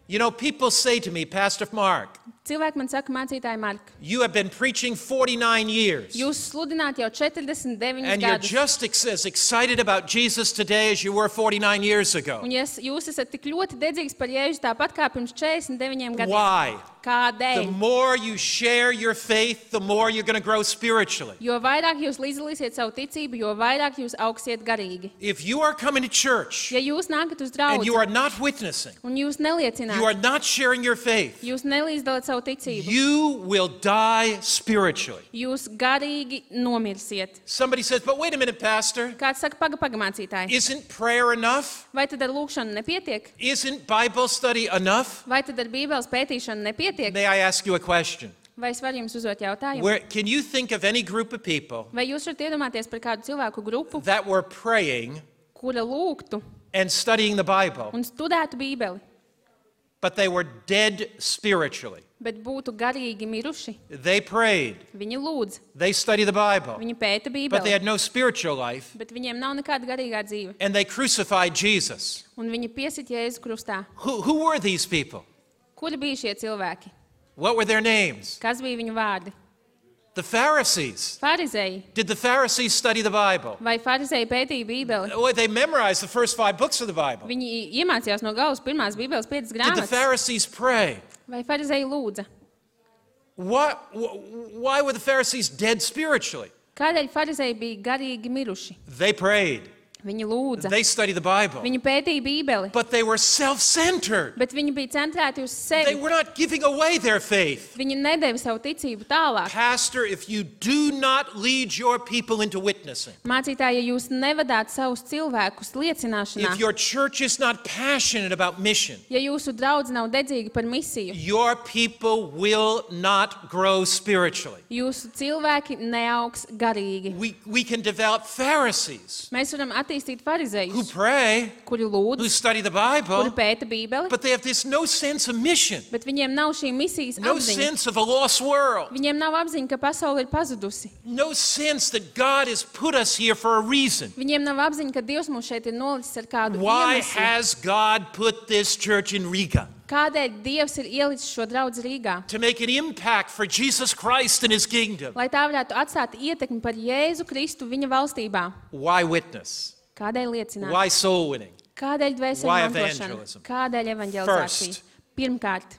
You know, people say to me, Pastor Mark, Cilvēki man saka, mācītāji Mark, you have been preaching 49 years, jūs sludināt jau 49 and you're gadus. just as excited about Jesus today as you were 49 years ago. Un ja jūs esat tik ļoti dedzīgs par Jēzu tāpat kā pirms 49 gadiem. Why? The Kādēļ? more you share your faith, the more you're going to grow spiritually. Jo vairāk jūs līdzdalīsiet savu ticību, jo vairāk jūs augsiet garīgi. If you are coming to church Ja jūs nākat uz and you draugu are not witnessing, un jūs you are neliecināt, not sharing your faith, jūs nelīdzdalāt savu ticību, you will die spiritually. jūs garīgi nomirsiet. Somebody says, but wait a minute, Pastor, Kāds saka, paga mācītāji, isn't prayer enough? vai tad ar lūkšanu nepietiek? Isn't Bible study enough? Vai tad ar Bībeles pētīšanu nepietiek? May I ask you a question? Vai es varu jums uzdot jautājumu? Can you think of any group of people Vai jūs varat iedomāties par kādu cilvēku grupu, that were praying kura lūgtu and studying the Bible, un studētu Bībeli, but they were dead spiritually? bet būtu garīgi miruši? They prayed, Viņi lūdz, they studied the Bible, viņi pēta but they Bībeli, had no spiritual life, bet viņiem nav nekāda garīgā dzīve. and they crucified Jesus. Un viņi piesit Jēzu krustā. Who were these people? Kuri bija šie cilvēki? What were their names? Kas bija viņu vārdi? The Pharisees. Farizēji. Did the Pharisees study the Bible? Vai farizēji pētīja Bībeli? Oh, they memorized the first 5 books of the Bible. Viņi iemācījās no galvas pirmās Bībeles 5 Did the grāmatas. Pharisees pray? Vai farizēji lūdza? Why were the Pharisees dead spiritually? Kādēļ farizēji bija garīgi miruši? They prayed. Viņi lūdza. They studied the Bible. Viņi pētīja Bībeli, But they were self-centered. bet viņi bija centrēti uz They sevi. were not giving away their faith. Viņi nedeva savu ticību tālāk. Pastor, if you do not lead your people into witnessing, Mācītāji, ja jūs nevadāt savus cilvēkus liecināšanā, if your church is not passionate about mission, ja jūsu draudz nav dedzīgi par misiju, your people will not grow spiritually. jūsu cilvēki neaugs garīgi. We can develop Pharisees Mēs varam attīstīt who farizējus, pray, kuri who lūdz, study the kuri Bible, pēta Bībeli, but they have this no sense of mission, bet viņiem nav šī misijas no apziņa. sense of a lost world, Viņiem nav apziņa, ka pasaule ir pazudusi. no sense that God has put us here for a reason. Viņiem nav apziņa, ka Dievs mūs šeit ir nolicis ar kādu Why iemeslu. has God put this church in Riga? Kādēļ Dievs ir ielicis šo draudzi Rīgā? To make an impact for Jesus Christ and His kingdom. Lai tā varētu atstāt ietekmi par Jēzu Kristu viņa valstībā. Why witness? Kādēļ liecināt? Why soul winning? Kādēļ Why dvēseli mantošana? evangelism? Kādēļ evanģelizācija? First. Pirmkārt,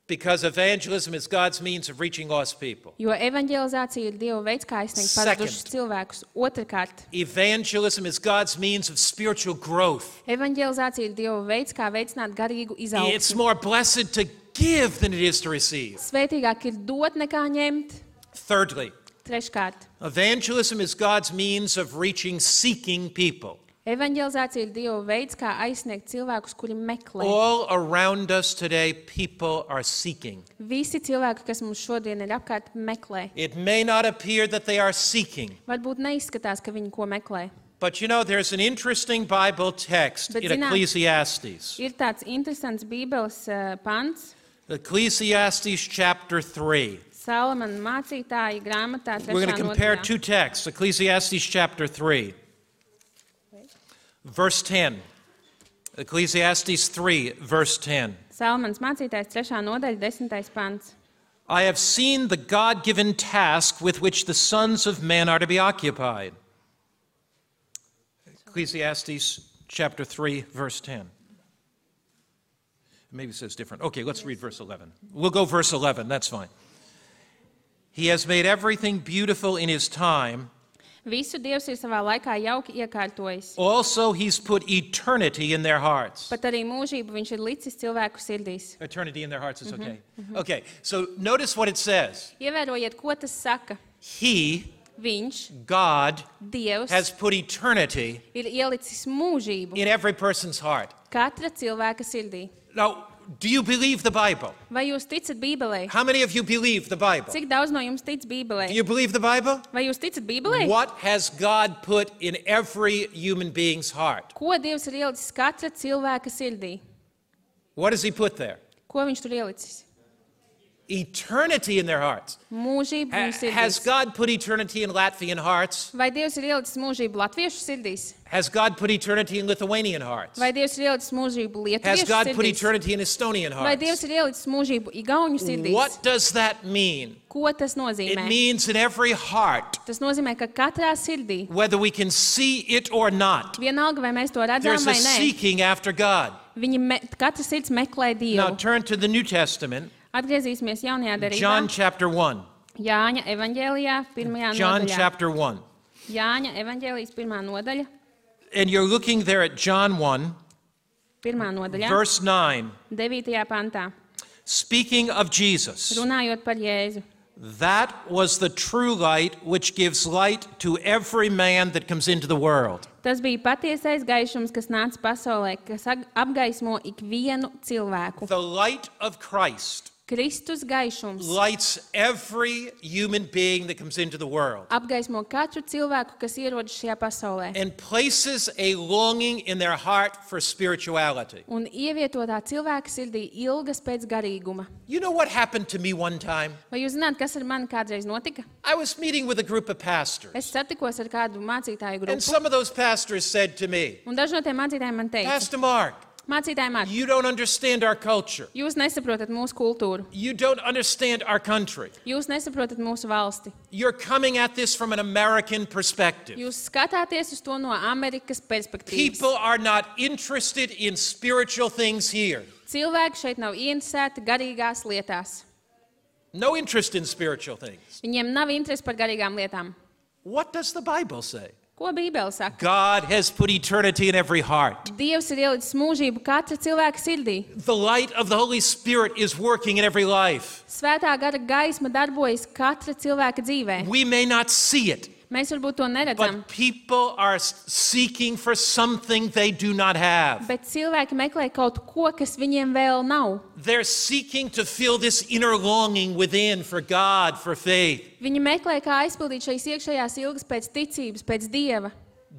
Because evangelism is God's means of reaching lost people. jo evanģelizācija ir Dieva veids, kā aizsniegt Second. pazudušus cilvēkus. Otrkārt, Evangelism is God's means of spiritual growth. evanģelizācija ir Dieva veids, kā veicināt garīgu It's izaugsmu. more blessed to give than it is to receive. Svētīgāk ir dot nekā ņemt. Thirdly, Treškārt, evangelism is God's means of reaching seeking people. evanģelizācija ir Dieva veids, kā aizsniegt cilvēkus, kuri meklē. All around us today, people are seeking. Visi cilvēki, kas mums šodien ir apkārt, meklē. It may not appear that they are seeking, Varbūt neizskatās, ka viņi ko meklē. but you know, there's an interesting Bible text Bet in zināt- Ecclesiastes. Ir tāds interesants Bībeles pants, Ecclesiastes chapter 3. Salamana mācītāja grāmatā We're going to compare 3. two texts, Ecclesiastes chapter 3, verse 10. Ecclesiastes 3, verse 10. Salamans mācītājs 3. nodaļa 10. pants. I have seen the God-given task with which the sons of men are to be occupied. Ecclesiastes chapter 3, verse 10. Maybe it says different. Okay, let's read verse 11. We'll go verse 11, that's fine. He has made everything beautiful in his time. Visu Dievs ir savā laikā jauki iekārtojis. Also, he's put eternity in their hearts. Pat arī mūžību viņš ir licis cilvēku sirdīs. Eternity in their hearts is okay. Okay, so notice what it says. Ievērojiet, ko tas saka. He, Viņš, God, Dievs, has put eternity ir ielicis mūžību in every person's heart. katra cilvēka sirdī. Now, do you believe the Bible? Vai jūs ticat Bībelei? How many of you believe the Bible? Cik daudz no jums tic Do Bībelei? you believe the Bible? Vai jūs ticat Bībelei? What has God put in every human being's heart? Ko Dievs ir ielicis katra cilvēka sirdī? What does he put there? Ko viņš tur ielicis? Eternity in their hearts. Mūžību viņu Has sirdīs. God put eternity in Latvian hearts? Vai Dievs ir ielicis mūžību latviešu sirdīs? Has God put eternity in Lithuanian hearts? Vai Dievs ir ielicis mūžību Has lietuviešu God put sirdīs? eternity in Estonian Vai hearts? Dievs ir ielicis mūžību igauņu sirdīs? What does that mean? Ko tas It nozīmē? means in every heart, Tas nozīmē, ka katrā sirdī, whether we can see it or not, vienalga vai mēs to redzam there's a vai nē, seeking after God. katra sirds meklē Now Dievu. turn to the New Testament, Atgriezīsimies jaunajā darībā. John chapter 1. Jāņa evaņģēlijā, pirmajā John nodaļā. chapter 1. Jāņa evaņģēlijas pirmā nodaļa, And you're looking there at John 1, pirmā nodaļā, verse 9, 9. pantā, speaking of Jesus. runājot par Jēzu. That was the true light which gives light to every man that comes into the world. Tas bija patiesais gaišums, kas nāca pasaulē, kas apgaismo ikvienu cilvēku. The light of Christ Kristus gaišums lights every human being that comes into the world apgaismo katru cilvēku, kas ierodas šajā pasaulē, and places a longing in their heart for spirituality. un ievieto tā cilvēka sirdī ilgas pēc garīguma. You know what happened to me one time? Vai jūs zināt, kas ar mani kādreiz notika? I was meeting with a group of pastors, Es satikos ar kādu mācītāju and grupu, some of those pastors said to me, un daži no tiem mācītājiem man teica, Pastor Mark, mācītāji Mark, you don't understand our culture. jūs nesaprotat mūsu kultūru, You don't understand our country. jūs nesaprotat mūsu valsti. You're coming at this from an American perspective. Jūs skatāties uz to no Amerikas perspektīvas. People are not interested in spiritual things here. Cilvēki šeit nav ieinteresēti garīgās lietās. No interest in spiritual things. Viņiem nav interesi par garīgām lietām. What does the Bible say? Ko Bībele saka? God has put eternity in every heart. Dievs ir ielicis mūžību katra cilvēka sirdī. The light of the Holy Spirit is working in every life. Svētā gara gaisma darbojas katra cilvēka dzīvē. We may not see it, Mēs varbūt to neredzam, but people are seeking for something they do not have. bet cilvēki meklē kaut ko, kas viņiem vēl nav. They're seeking to fill this inner longing within for God, for faith. Viņi meklē, kā aizpildīt šīs iekšējās ilgas pēc ticības, pēc Dieva.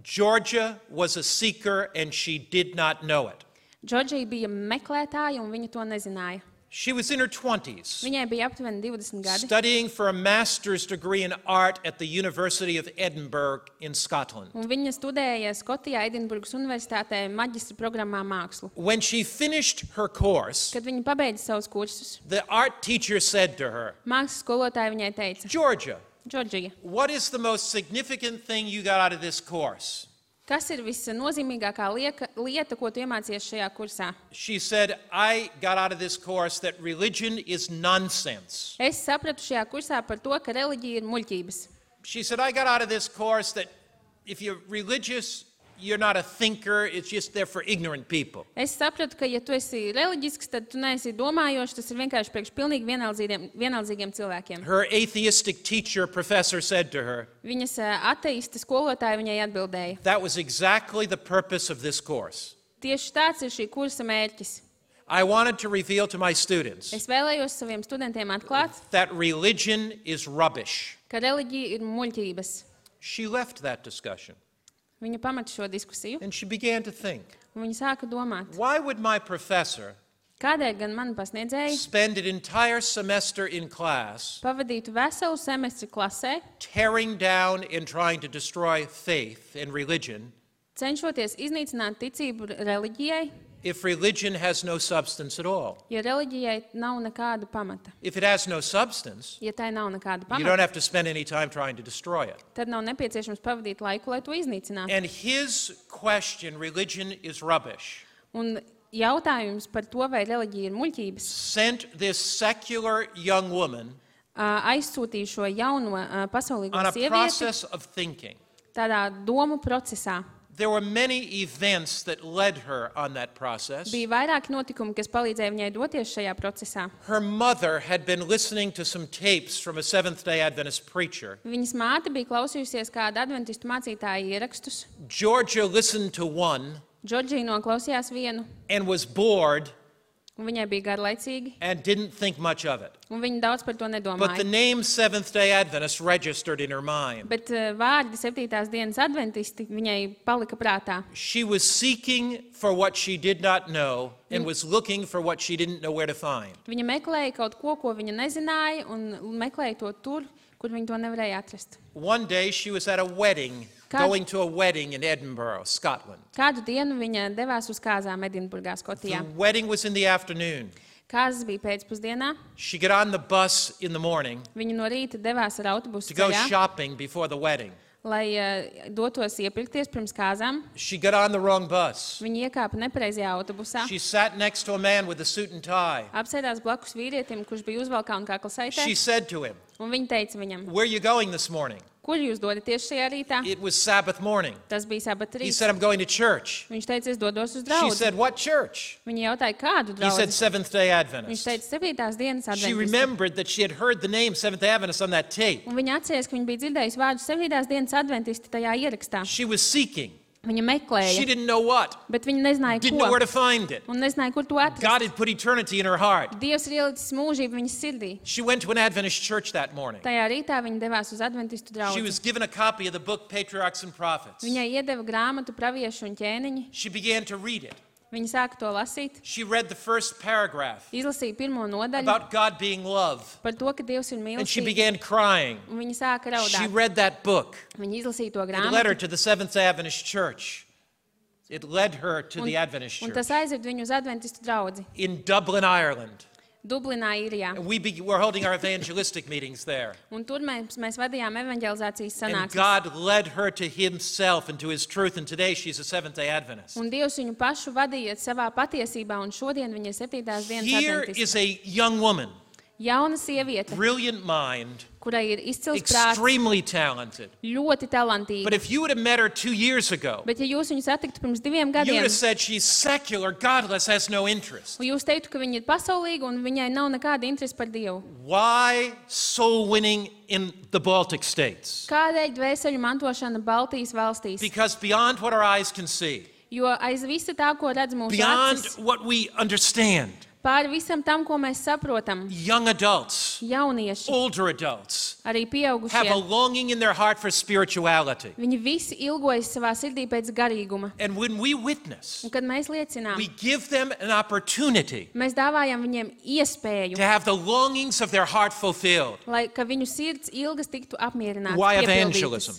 Georgia was a seeker and she did not know it. Džordžija bija meklētāja, un viņa to nezināja. She was in her 20s, Viņai bija aptuveni 20 gadi. studying for a master's degree in art at the University of Edinburgh in Scotland. Un viņa studēja Skotijā, Edinburgas Universitātē, maģistra programmā mākslu. When she finished her course, Kad viņa pabeidza savus kursus, the art teacher said to her, mākslas skolotāja viņai teica, Georgia, Džordžija, what is the most significant thing you got out of this course? kas ir visnozīmīgākā lieta, ko tu iemācījies šajā kursā? She said, I got out of this course that religion is nonsense. Es sapratu šajā kursā par to, ka reliģija ir muļķības. She said, I got out of this course that if you're religious, you're not a thinker, it's just there for ignorant people. Es sapratu, ka ja tu esi reliģisks, tad tu neesi domājošs, tas ir vienkārši priekš pilnīgi vienaldzīgiem cilvēkiem. Her atheistic teacher, professor, said to her, Viņas ateista skolotāja viņai atbildēja. that was exactly the purpose of this course. Tieši tāds ir šī kursa mērķis. I wanted to reveal to my students Es vēlējos saviem studentiem atklāt, that religion is rubbish. ka reliģija ir muļķības. She left that discussion Viņa pamata šo diskusiju, and she began to think, un viņa sāka domāt, why would my professor kādēļ gan mani pasniedzēji spend an entire semester in class pavadītu veselu semestri klasē, tearing down and trying to destroy faith and religion cenšoties iznīcināt ticību reliģijai, if religion has no substance at all? ja reliģijai nav nekāda pamata. If it has no substance, Ja tai nav nekāda you don't pamata, have to spend any time trying to destroy it. tad nav nepieciešams pavadīt laiku, lai to iznīcinātu. And his question, religion is rubbish, Un jautājums par to, vai reliģija ir muļķības, sent this secular young woman aizsūtīja šo jauno pasaulīgo on a sievieti process of thinking. tādā domu procesā. There were many events that led her on that process. Bija vairāki notikumi, kas palīdzēja viņai doties šajā procesā. Her mother had been listening to some tapes from a Seventh-day Adventist preacher. Viņas māte bija klausījusies kādu adventistu mācītāju ierakstus. Georgia listened to one Džordžija noklausījās vienu and was bored Un viņai bija garlaicīgi, and didn't think much of it. un viņa daudz par to But the nedomāja. name Seventh-day Adventist registered in her mind. Bet vārdi 7. dienas adventisti viņai palika prātā. She was seeking for what she did not know and was looking for what she didn't know where to find. Viņa meklēja kaut ko, ko viņa nezināja, un meklēja to tur, kur viņa to nevarēja atrast. One day she was at a wedding, going to a wedding in Edinburgh, Scotland. Kādu dienu viņa devās uz kāzām Edinburgā, Skotijā. The wedding was in the afternoon. Kāzas bija pēcpusdienā. She got on the bus in the morning Viņa no rīta devās ar autobusu to go ceļā, shopping before the wedding. lai dotos iepirkties pirms kāzām. She got on the wrong bus. Viņa iekāpa nepareizajā autobusā. She sat next to a man with a suit and tie. Apsēdās blakus vīrietim, kurš bija uzvalkā un kaklasaitē. She said to him, Un viņa teica viņam, "Where are you going this morning?" kur jūs dodaties šajā rītā? It was Sabbath morning. Tas bija sabata He rīts. said, "I'm going to church." Viņš teica, es dodos uz She draugu. said, "What church?" Viņa jautāja, kādu He said, draugu? "Seventh-day Viņš Adventist." teica, 7. dienas She adventisti. remembered that she had heard the name Seventh-day Adventist on that tape. Un viņa atcerējās, ka viņa bija dzirdējusi vārdu 7. dienas adventisti tajā ierakstā. She was seeking. Viņa She meklēja, didn't know what. bet viņa nezināja, Didn't know where ko. to find it. Un nezināja, kur to atrast. God had put eternity in her heart. Dievs ir ielicis mūžību viņas sirdī. She went to an Adventist church that morning. Tajā rītā viņa devās uz adventistu She draugu. was given a copy of the book Patriarchs and Prophets. Viņai iedeva grāmatu Praviešu un ķēniņi. She began to read it. Viņa sāka to lasīt, She read the first paragraph izlasīja pirmo nodaļu about God being love. par to, ka Dievs ir And she mīlestība. began crying. Un viņa sāka She raudāt. read that book. Viņa izlasīja to It led her grāmatu. to the Seventh-day Adventist church. It led her to the Adventist Un church tas aizved viņu uz adventistu draudzi. in Dublin, Ireland. Dublinā, Īrijā. And we're holding our evangelistic meetings there. Un tur mēs vadījām evanģelizācijas And sanāksmes. God led her to himself and to his truth. And today she's a Seventh-day Adventist. Un Dievs viņu pašu vadīja savā patiesībā, un šodien viņa ir 7. dienas Here adventists. is a young woman, Jauna sieviete, brilliant mind, kurai ir izcils prāts, extremely talented. ļoti talantīga. But if you would have met her 2 years ago, Bet ja jūs viņu satiktu pirms 2 you would gadiem, have said she's secular, godless, has no interest. un jūs teiktu, ka viņa ir pasaulīga un viņai nav nekāda interese par Dievu. Why soul winning in the Baltic states? Kādēļ dvēseļu mantošana Baltijas valstīs? Because beyond what our eyes can see, Jo aiz visa tā, ko redz mūsu beyond acis, what we understand, pāri visam tam, ko mēs saprotam, young adults, jaunieši, older adults, arī have a pieaugušie, longing in their heart for spirituality. viņi visi ilgojas savā sirdī pēc garīguma. And when we witness, Un kad mēs liecinām, we give them an opportunity mēs dāvājam viņiem iespēju, to have the longings of their heart fulfilled. lai ka viņu sirds ilgas tiktu apmierinātas. Why piepildītas. evangelism?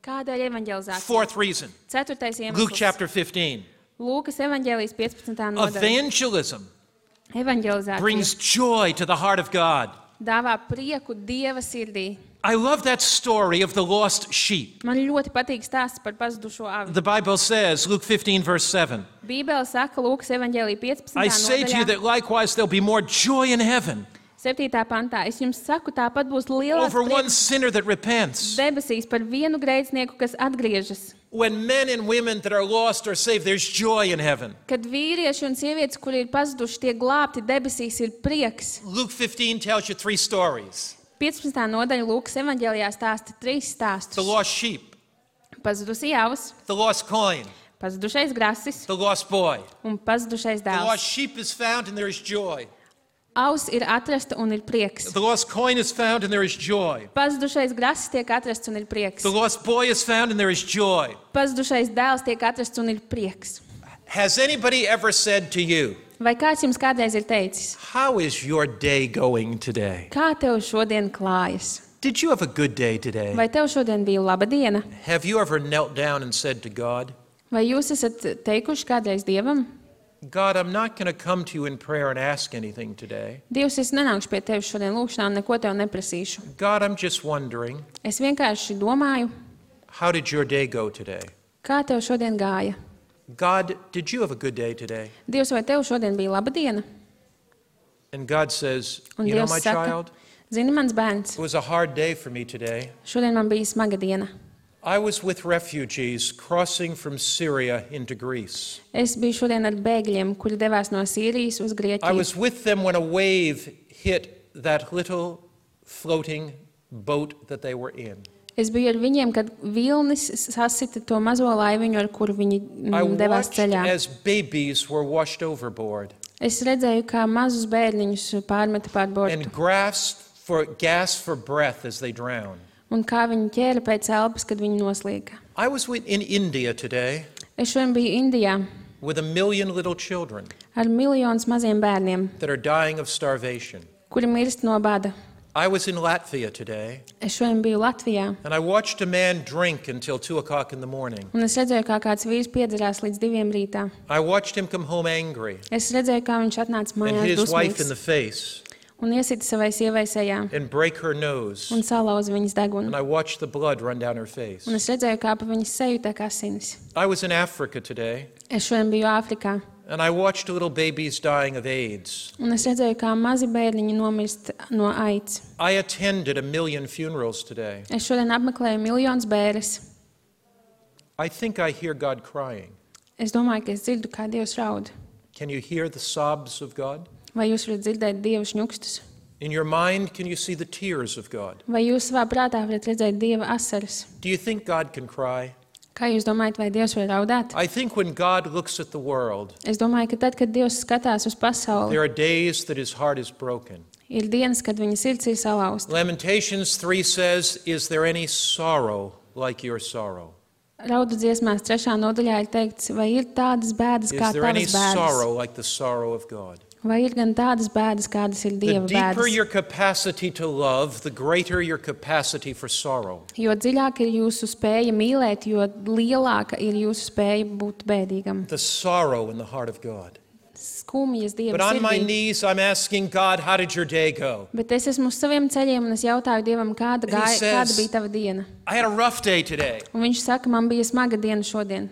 Kādēļ evanģelizācija? Fourth reason, 4. Luke iemesls. chapter 15. Lūkas evanģēlijas 15. nodaļa. Evangelism Evanģelizācija brings joy to the heart of God. dāvā prieku Dieva sirdī. I love that story of the lost sheep. Man ļoti patīk stāsts par pazudušo avi. The Bible says, Luke 15, verse 7, Bībele saka Lūkas evanģēlija 15. I say to you nodaļā, that likewise there'll be more joy in heaven 7. pantā. Es jums saku, tāpat būs lielāks over one prieks sinner that repents. debesīs par vienu grēcinieku, kas atgriežas. When men and women that are lost are saved, there's joy in heaven. Kad vīrieši un sievietes, kuri ir pazuduši, tiek glābti, debesīs ir prieks. Luke 15 tells you 3 stories. 15. nodaļa Lūkas evanģēlijā stāsta 3 The stāstus. lost sheep, Pazudusī avs, the lost coin, pazudušais grasis the lost boy. un pazudušais The lost dēls. sheep is found and there is joy. Avs ir atrasta un ir prieks. The lost coin is found and there is joy. Pazudušais grasis tiek atrasts un ir prieks. The lost boy is found and there is joy. Pazudušais dēls tiek atrasts un ir prieks. Has anybody ever said to you, Vai kāds jums kādreiz ir teicis, how is your day going today? kā tev šodien klājas? Did you have a good day today? Vai tev šodien bija laba diena? Have you ever knelt down and said to God, Vai jūs esat teikuši kādreiz Dievam? God, I'm not going to come to you in prayer and ask anything today. Dievs, es nenākšu pie tevis šodien lūkšanā un neko tev neprasīšu. God, I'm just wondering, Es vienkārši domāju, how did your day go today? kā tev šodien gāja. God, did you have a good day today? Dievs, vai tev šodien bija laba diena? And God says, Un you know, Dievs my saka, child, zini, mans bērns, it was a hard day for me today. šodien man bija smaga diena. I was with refugees crossing from Syria into Greece. Es biju šodien ar bēgļiem, kuri devās no Sīrijas uz I Grieķiju. was with them when a wave hit that little floating boat that they were in. Es biju ar viņiem, kad vilnis sasita to mazo laiviņu, ar kuru viņi I devās watched ceļā. as babies were washed overboard. Es redzēju, kā mazus bērniņus pārmeta pār bortu, and gasped for breath as they drowned. un kā viņi ķēra pēc elpas, kad viņi noslīga. I was in India today Es šodien biju Indijā with 1 million little children ar miljonus maziem bērniem, that are dying of starvation. kuri mirst no bada. I was in Latvia today, Es šodien biju Latvijā, and I watched a man drink until 2 o'clock in the morning. un es redzēju, kā kāds vīrs piedzerās līdz 2 rītā. I watched him come home angry Es redzēju, kā viņš atnāca and mājās hit his wife in dusmīgs the face un iesita savai sievai sejā and break her nose. un salauza viņas degunu. And I watched the blood run down her face. Un es redzēju, kā pa viņas seju tek asinis. I was in Africa today, Es šodien biju Āfrikā, and I watched little babies dying of AIDS. un es redzēju, kā mazi bērniņi nomirst no aids. I attended 1 million funerals today. Es šodien apmeklēju miljonus bēres. I think I hear God crying. Es domāju, ka es dzirdu, kā Dievs raud. Can you hear the sobs of God? Vai jūs varat dzirdēt Dieva šņukstus? In your mind, can you see the tears of God? Vai jūs savā prātā varat redzēt Dieva asaras? Do you think God can cry? Kā jūs domājat, vai Dievs var raudāt? I think when God looks at the world, Es domāju, ka tad, kad Dievs skatās uz pasauli, there are days that his heart is broken. ir dienas, kad viņa sirds ir salauzta. Lamentations 3 says, "Is there any sorrow like your sorrow? Raudu dziesmās 3. nodaļā ir teikts, vai ir tādas bēdas kā Is there any tavas bēdas? sorrow like the sorrow of God?" Vai ir gan tādas bēdas, kādas ir The Dieva deeper bēdas? your capacity to love, the greater your capacity for sorrow. Jo dziļāka ir jūsu spēja mīlēt, jo lielāka ir jūsu spēja būt bēdīgam. The sorrow in the heart of God. Skumjas Dieva But on my sirdī. knees, I'm asking God, how did your day go? Bet es esmu uz saviem ceļiem un es jautāju Dievam, kāda says- bija tava diena. I had a rough day today. Un viņš saka, man bija smaga diena šodien.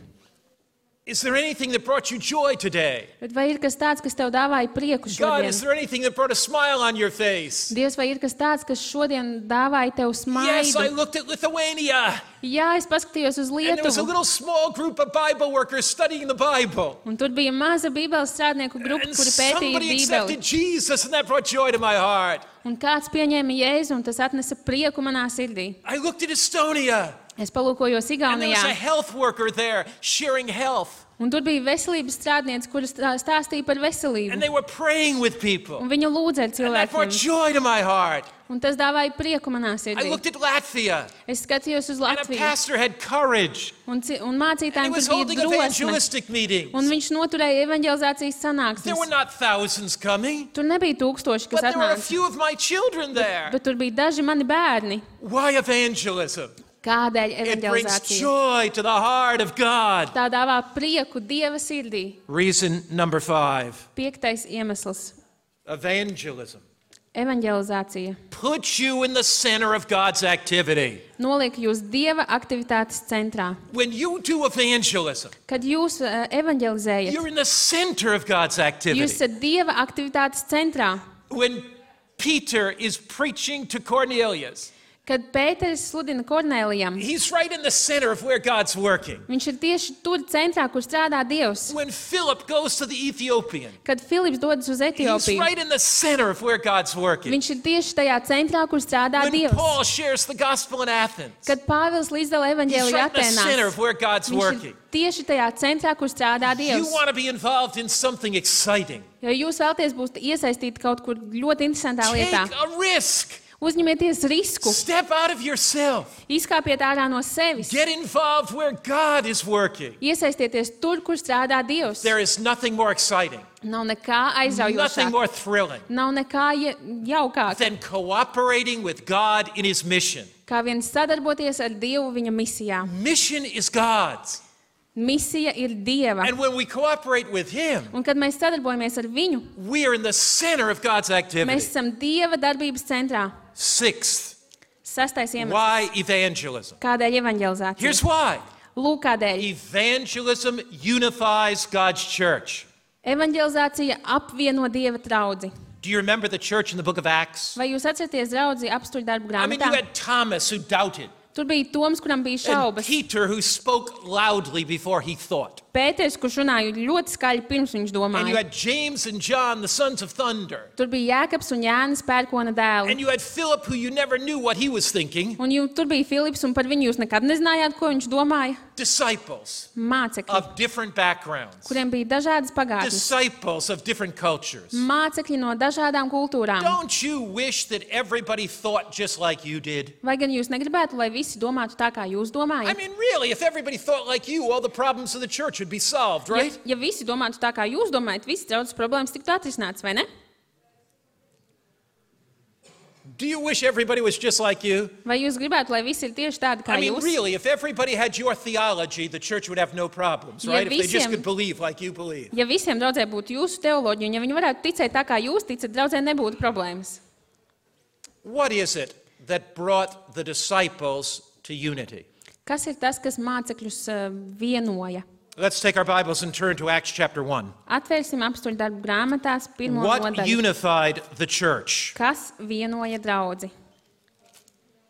Is there anything that brought you joy today? Bet vai ir kas tāds, kas tev dāvāja prieku God, šodien? is there anything that brought a smile on your face? Dievs, vai ir kas tāds, kas šodien dāvāja tev Yes, I smaidu? looked at Lithuania, Jā, es paskatījos uz and there was a Lietuvu. little small group of Bible workers studying the Bible. Un tur bija maza bībeles strādnieku grupa, And kuri pētīja somebody accepted bībeli. Jesus, and that brought joy to my heart. Un kāds pieņēma Jēzu, un tas atnesa prieku manā sirdī. I looked at Estonia, Es palūkojos and there was a Igaunijā, health worker there sharing health, un tur bija veselības strādniece, kuras stāstīja par veselību. and they were praying with people. Un viņa lūdza ar And that brought cilvēkiem. joy to my heart. Un tas dāvāja prieku manā I sirdī. looked at Latvia, Es skatījos uz and a Latviju, pastor had courage, un and mācītājiem he was tur holding bija drosme. evangelistic meetings. Un viņš noturēja evanģelizācijas There were sanāksmes. not thousands coming, Tur nebija tūkstoši, kas but there were a atnāca, few of my children there. bet tur bija daži mani bērni. Why evangelism? Kādēļ It brings evanģelizācija? joy to the heart of God. Tā dāvā prieku Dieva sirdī. Reason number 5, 5. iemesls evangelism. Evanģelizācija Put you in the center of God's activity. noliek jūs Dieva aktivitātes centrā. When you do evangelism, Kad jūs evanģelizējat, you're in the center of God's jūs activity. esat Dieva aktivitātes centrā. When Peter is preaching to Cornelius, Kad Pēteris sludina Kornēlijam, he's right in the center of where God's working. viņš ir tieši tur centrā, kur strādā Dievs. When Philip goes to the Ethiopian, Kad Filips dodas uz he's Etiopiju, right in the center of where God's working. viņš ir tieši tajā centrā, kur strādā When Dievs. Paul shares the gospel in Athens, Kad Pāvils līdzdala he's evaņģēliju right in the center Atēnās, of where God's viņš working. ir tieši tajā centrā, kur strādā You Dievs. want to be involved in something exciting. Ja jūs vēlaties būt iesaistīti kaut kur ļoti interesantā Take lietā, a risk. uzņemieties risku, Step out of yourself. izkāpiet ārā no sevis, Get involved where God is working. iesaistieties tur, kur strādā Dievs. There is nothing more exciting, Nav nekā nothing aizraujošāk, more thrilling nav nekā jaukāk, than cooperating with God in His mission. kā viens sadarboties ar Dievu viņa misijā. Mission is God's. Misija ir Dieva. And when we cooperate with Him, Un kad mēs sadarbojamies ar viņu, we are in the center of God's mēs activity. esam Dieva darbības centrā. 6th, 6. iemesls. why evangelism? Kādēļ evanģelizācija? Here's why. Lūk, kādēļ. Evangelism unifies God's church. Evanģelizācija apvieno Dieva draudzi. Do you remember the church in the book of Acts? Vai jūs atceraties draudzi apstuļu darbu I mean, you grāmatā? had Thomas who doubted, Tur bija Toms, kuram bija and šaubas. Peter who spoke loudly before he thought. Pēters, kurš runāja ļoti skaļi pirms viņš And you domāja. had James and John, the sons of thunder. Tur bija Jēkabs un Jānis pērkona And dēli. you had Philip, who you never knew what he was thinking. Un tur bija Filips, un par viņu jūs nekad nezinājāt, ko viņš domāja. disciples mācekļi, of different backgrounds, kuriem bija dažādas pagātnes, disciples of different cultures. mācekļi no dažādām kultūrām. Don't you wish that everybody thought just like you did? Vai gan jūs negribētu, lai visi domātu tā, kā jūs I domājat? mean, really, if everybody thought like you, all the problems of the church would be solved, right? Ja visi domātu tā, kā jūs domājat, visas draudzes problēmas tiktu atrisinātas, vai ne? Do you wish everybody was just like you? Vai jūs gribētu, lai visi ir tieši tādi kā I mean, jūs? really, if everybody had your theology, the church would have no problems, Ja right? If they just visiem- could believe like you believe. Ja visiem draudzē būtu jūsu teoloģija, un ja viņi varētu ticēt tā, kā jūs ticat, draudzē nebūtu problēmas. What is it that brought the disciples to unity? Kas ir tas, kas mācekļus vienoja? Let's take our Bibles and turn to Acts chapter 1. Atvērsim apstuļu darbu grāmatās pirmo What nodaļu. unified the church? Kas vienoja draudzi?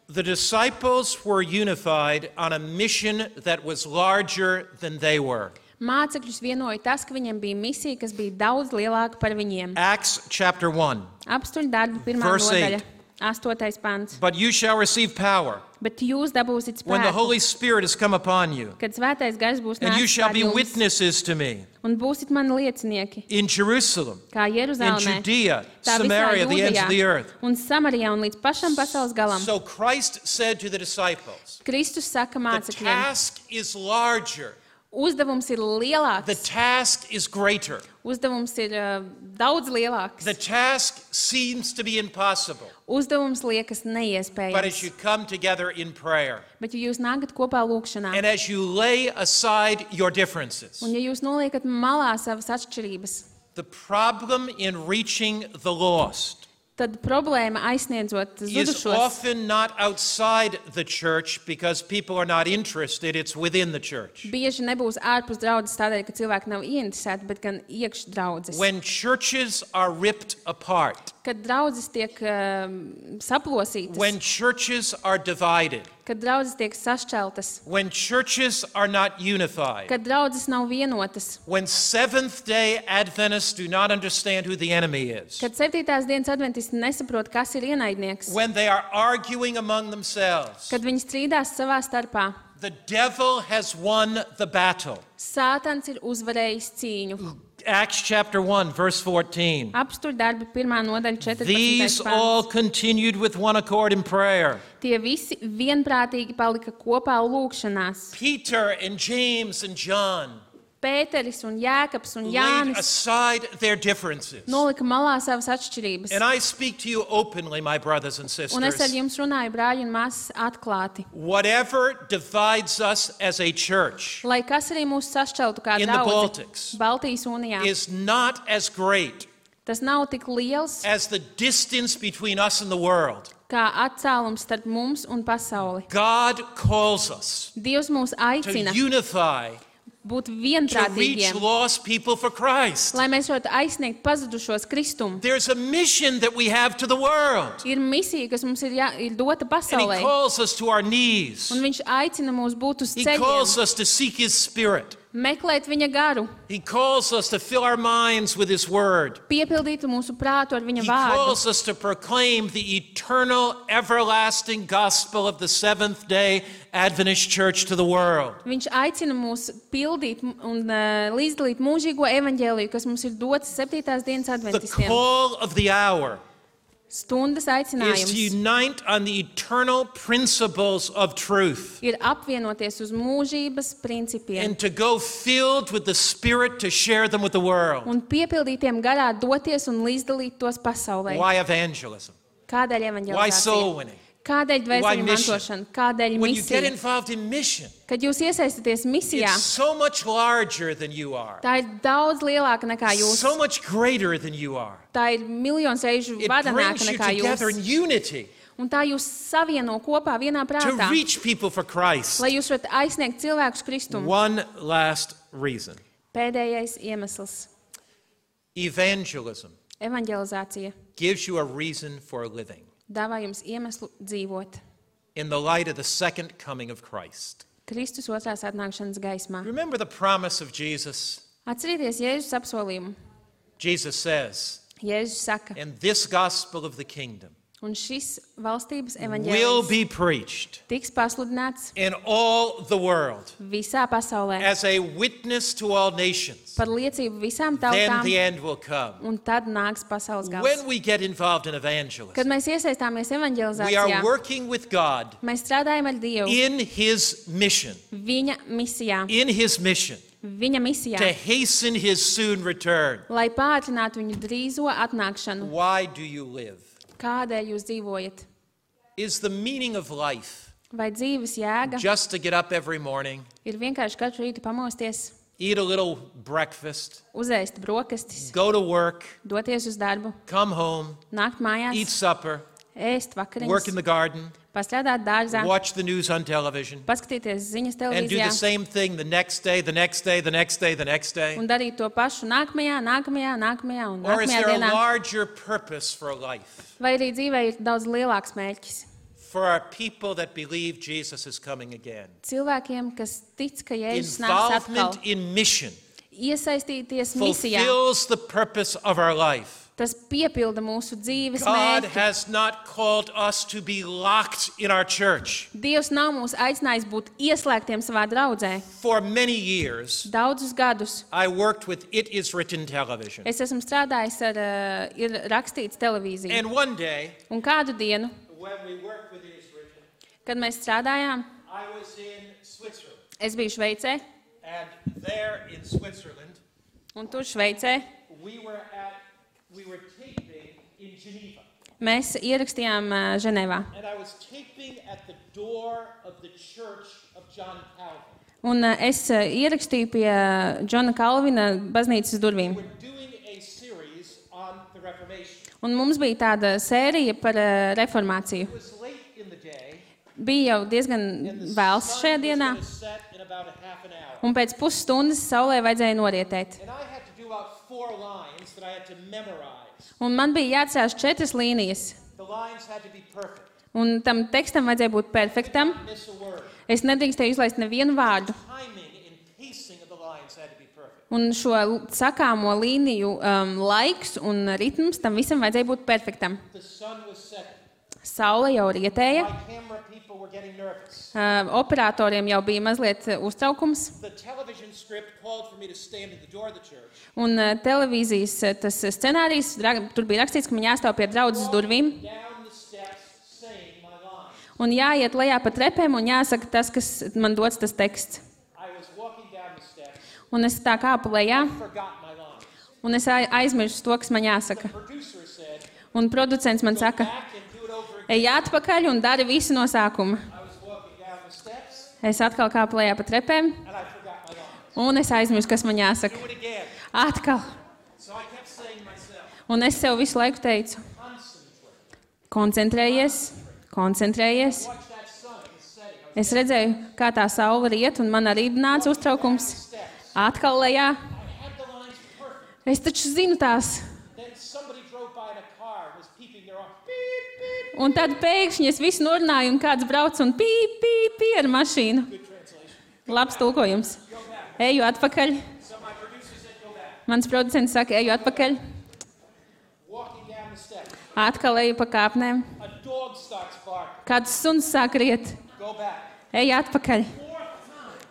The disciples were unified on a mission that was larger than they were. Mācekļus vienoja tas, ka viņiem bija misija, kas bija daudz lielāka par viņiem. Acts chapter 1. Apstuļu darbu pirmā Verse nodaļa, 8. 8. pants. But you shall receive power Bet jūs dabūsiet when the spēku, Holy Spirit has come upon you, kad svētais gars būs and you nācis shall pār be jums, witnesses to me un būsit mani liecinieki, in Jerusalem, kā in Jeruzalemē, Judea, tā visā Samaria, the ends of the Jūdejā earth. un Samarijā un līdz pašam pasaules galam. So Christ said to the disciples, Kristus saka the mācekļiem, task is larger, uzdevums ir the lielāks, task is greater. uzdevums ir daudz lielāks, The task seems to be impossible, uzdevums liekas but as you neiespējams. come together in prayer, Bet ja jūs nākat kopā lūkšanā, and as you lay aside your differences, un ja jūs noliekat malā savas atšķirības, the problem in reaching the lost tad problēma aizsniedzot is zudušos often not outside the church because people are not interested, it's within the church. bieži nebūs ārpus draudzes tādēļ, ka cilvēki nav ieinteresēti, bet gan iekš draudzes. When churches are ripped apart, Kad draudzes tiek saplosītas, when churches are divided, kad draudzes tiek sašķeltas, when churches are not unified, kad draudzes nav vienotas, when Seventh-day Adventists do not understand who the enemy is, kad 7. dienas adventisti nesaprot, kas ir ienaidnieks, when they are arguing among themselves, kad viņi strīdās savā starpā, the devil has won the battle. Sātans ir uzvarējis cīņu. Acts chapter 1, verse 14. Apstuļu darbi 1. nodaļa 14. These all pants. continued with one accord in prayer. Tie visi vienprātīgi palika kopā lūkšanās. Peter and James and John Pēteris un Jēkabs un laid Jānis aside their differences. nolika malā savas atšķirības. And I speak to you openly, my brothers and Un es ar sisters. jums runāju, brāļi un māsas, atklāti. Whatever divides us as a church Lai kas arī mūs sašķeltu kā In the draudzi Baltics Baltijas unijā, is not as great tas nav tik liels as the distance between us and the world. kā atcēlums starp mums un pasauli. God calls us Dievs mūs to aicina unify, būt to reach vienprātīgiem, lost people for Christ. lai mēs varētu aizsniegt pazudušos Kristumu. There's a mission that we have to the world. Ir misija, kas mums ir dota And pasaulē, he calls us to our knees. un viņš aicina mūs būt uz He calls ceļiem, us to seek his spirit. meklēt viņa garu, He calls us to fill our minds with his word. piepildīt mūsu prātu ar viņa He vārdu. calls us to proclaim the eternal, everlasting gospel of the Seventh-day Adventist Church to the world. Viņš aicina mūs pildīt un līdzdalīt mūžīgo evaņģēliju, kas mums ir dots 7. dienas The adventistiem. call of the hour Stundas is to aicinājums unite on the eternal principles of truth ir apvienoties uz mūžības principiem and to go filled with the Spirit to share them with the world. un piepildītiem garā doties un līdzdalīt tos pasaulē. Why evangelism? Kādēļ Why soul evaņģēlizācija? winning? Kādēļ Why dvēseli mission? mantošana? Kādēļ When you get misija? involved in mission, Kad jūs iesaistaties misijā, it's so much larger than you are, tā ir daudz lielāka nekā jūs. so much greater than you are. Tā ir miljons reižu It varenāka brings you nekā together in jūs. unity Un tā jūs savieno kopā vienā to prātā, reach people for Christ. lai jūs varat aizsniegt cilvēkus Kristumu. One last reason. Pēdējais iemesls - Evangelism evaņģelizācija gives you a reason for living dāvā jums iemeslu dzīvot in the light of the second coming of Christ. Kristus otrās atnākšanas gaismā. Remember the promise of Jesus? Atcerieties Jēzus apsolījumu. Jesus says, Jēzus saka, "And this gospel of the kingdom Un šis valstības will evaņģēlijs be preached tiks pasludināts in all the world visā pasaulē as a witness to all nations. par liecību visām Then tautām, the end will come. un tad nāks pasaules gals. When we get involved in evangelism, Kad mēs iesaistāmies we evaņģelizācijā, are working with God mēs strādājam ar Dievu in His mission, viņa misijā, to viņa misijā, hasten His soon return. lai pātrinātu viņu drīzo atnākšanu. Why do you live? Kādēļ jūs dzīvojat? Is the meaning of life Vai dzīves jēga just to get up every morning, ir vienkārši katru rītu pamosties, eat a little breakfast, uzēst brokastis, go to work, doties uz darbu, come home, nākt eat mājās, supper, ēst work in vakariņas, the garden, pastrādāt dārzā, watch the news on television, paskatīties ziņas and do televīzijā the same thing the next day, the next day, the next day, the next day? un darīt to pašu nākamajā un Or is nākamajā there a dienā? larger purpose for life? Vai arī dzīvē ir daudz lielāks mērķis? For our people that believe Jesus is coming again. Cilvēkiem, kas tic, ka Jēzus nāks atkal, Involvement in mission iesaistīties misijā, fulfills the purpose of our life. tas piepilda mūsu dzīves God mērķi. has not called us to be locked in our church. Dievs nav mūs aicinājis būt ieslēgtiem savā draudzē. For many years, Daudzus gadus I worked with It Is Written television. es esmu strādājis ar ir rakstīts televīziju. And one day, Un kādu dienu, when we worked with It Is Written, kad mēs strādājām, I was in Switzerland. es biju Šveicē, And there in Switzerland, un tur Šveicē we were taping in Geneva. mēs ierakstījām Ženēvā. And I was taping at the door of the church of John Calvin. Un es ierakstīju pie Džona Kalvina baznīcas durvīm. We're doing a series on the Reformation. Un mums bija tāda sērija par reformāciju. It was late in the day, Bija jau diezgan and the vēls sun šajā was dienā, going to set in about a half an hour. un pēc pusstundas saulē vajadzēja norietēt. And I had to do about 4 lines that I had to memorize. Un man bija jāatcerās 4 līnijas, The lines had to be perfect. un tam tekstam vajadzēja būt perfektam. Miss a word. Es nedrīkstēju izlaist nevienu vārdu. Timing and pacing of the lines had to be perfect. Un šo sakāmo līniju laiks un ritms tam visam vajadzēja būt perfektam. The sun was setting. Saule jau rietēja, My camera people were getting nervous. operatoriem jau bija mazliet uztraukums, The television script called for me to stand at the door of the church. un televīzijas tas scenārijs, tur bija rakstīts, ka man jāstāv pie draudzes durvīm Down the steps saying my lines. un jāiet lejā pa trepēm un jāsaka tas, kas man dots tas teksts. I was walking down the steps, Un es tā kāpu lejā, forgot my lines. un es aizmirsu to, kas man jāsaka. Producer said, Un producents man go saka, back and do it over again. ej atpakaļ un dari visu no sākuma. I was walking down the steps Es atkal kāpu lejā pa trepēm, and I forgot my lines. un es aizmirsu, kas man jāsaka. Do it again. Atkal. So I kept saying to myself, Un es sev visu laiku teicu, concentrate. koncentrējies. Watch that sun. It was setting. I was Es redzēju, kā tā saule riet, un man arī nāca uztraukums. steps. Atkal lejā. I had the lines perfect. Es taču zinu tās. Then somebody drove by in a car and was peeping their arm. Beep, beep. Un tad pēkšņi es visu norunāju, un kāds brauc un pī ar mašīnu. Good translation. Labs tulkojums. Go back. Eju atpakaļ. So my producer said, go back. Mans producents saka, eju atpakaļ. Walking down the steps. Atkal eju pa kāpnēm. A dog starts barking. Kāds suns sāk riet. Go back. Eju atpakaļ.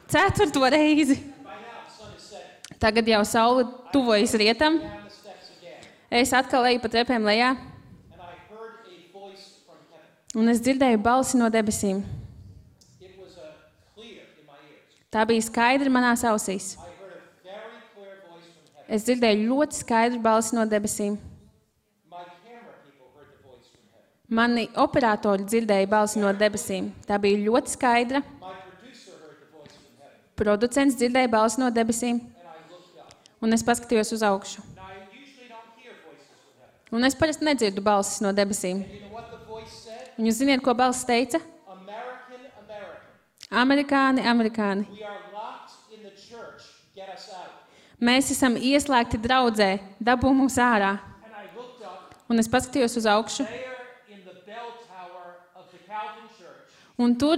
4th time. 4. reizi. By now the sun is setting. Tagad jau saule tuvojas rietam. Down the steps again. Es atkal eju pa trepēm lejā, And I heard a voice from heaven. un es dzirdēju balsi no debesīm. It was clear in my ears. Tā bija skaidra manās ausīs. I heard a very clear voice from heaven. Es dzirdēju ļoti skaidru balsi no debesīm. My camera people heard the voice from heaven. Mani operatori dzirdēja balsi no debesīm. Tā bija ļoti skaidra. My producer heard the voice from heaven. Producents dzirdēja balsi no debesīm, And I looked up. un es paskatījos uz augšu. Now I usually don't hear voices from heaven. Un es parasti nedzirdu balsis no debesīm. You know what the voice said? Un jūs ziniet, ko balss teica? American. Amerikāni. We are locked in the church. Get us out. Mēs esam ieslēgti draudzē, dabū mūs ārā. And I looked up. Un es paskatījos uz augšu. There in the bell tower of the Calvin church, Un tur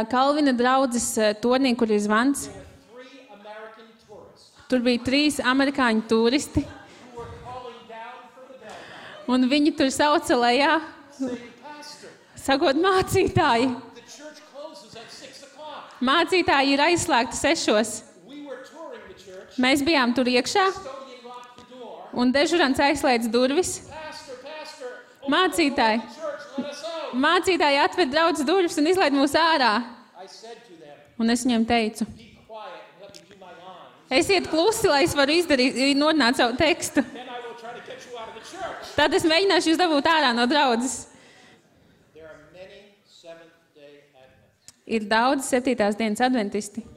Kalvina draudzes tornī, kur ir zvans, there were 3 American tourists tur bija 3 amerikāņu turisti. who were calling down from the bell tower, Un viņi tur sauca lejā, saying, Sakot, mācītāji, the church closes at 6 o'clock. mācītāji ir aizslēgti 6. We were touring the church. Mēs bijām tur iekšā, Custodian locked the door. un dežurants aizslēdz durvis. Pastor, Mācītāji, church, let us out. mācītāji atved draudzes durvis un izlaid mūs ārā. I said to them, Un es viņiem teicu, be quiet and let me do my lines. esiet klusi, lai es varu nodināt savu tekstu. Then I will try to get you out of the church. Tad es mēģināšu jūs dabūt ārā no draudzes. There are many Seventh-day Adventists Ir daudz 7. dienas adventisti in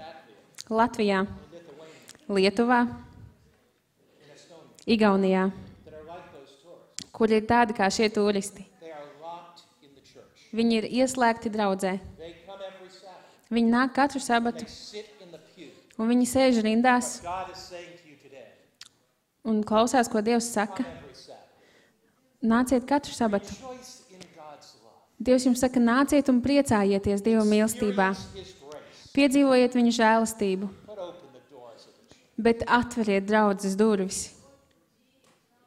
Latvia, Latvijā, in Lithuania, Lietuvā, in Estonia Igaunijā, that are like those tourists. kur ir tādi kā šie turisti. They are locked in the church. Viņi ir ieslēgti draudzē. They come every Sabbath. Viņi nāk katru sabatu, They sit in the pew. un viņi sēž rindās What God is saying to you today, un klausās, ko Dievs saka. come every Sabbath. Nāciet katru sabatu. Rejoice in God's love. Dievs jums saka, nāciet un priecājieties Dieva mīlestībā. Experience His grace. Piedzīvojiet viņa žēlastību, But open the doors of the church. bet atveriet draudzes durvis.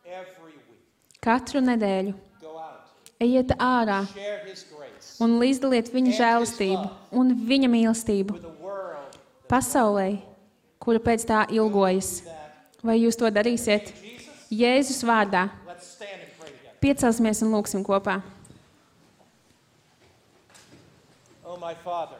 Every week, Katru nedēļu go out, ejiet ārā share His grace un līdzdaliet viņa žēlastību un viņa mīlestību with a world pasaulē, kura pēc tā ilgojas. that. Vai jūs to darīsiet? Jesus, Jēzus vārdā. let's stand and pray together. Piecelsimies un lūksim kopā. Oh, my Father,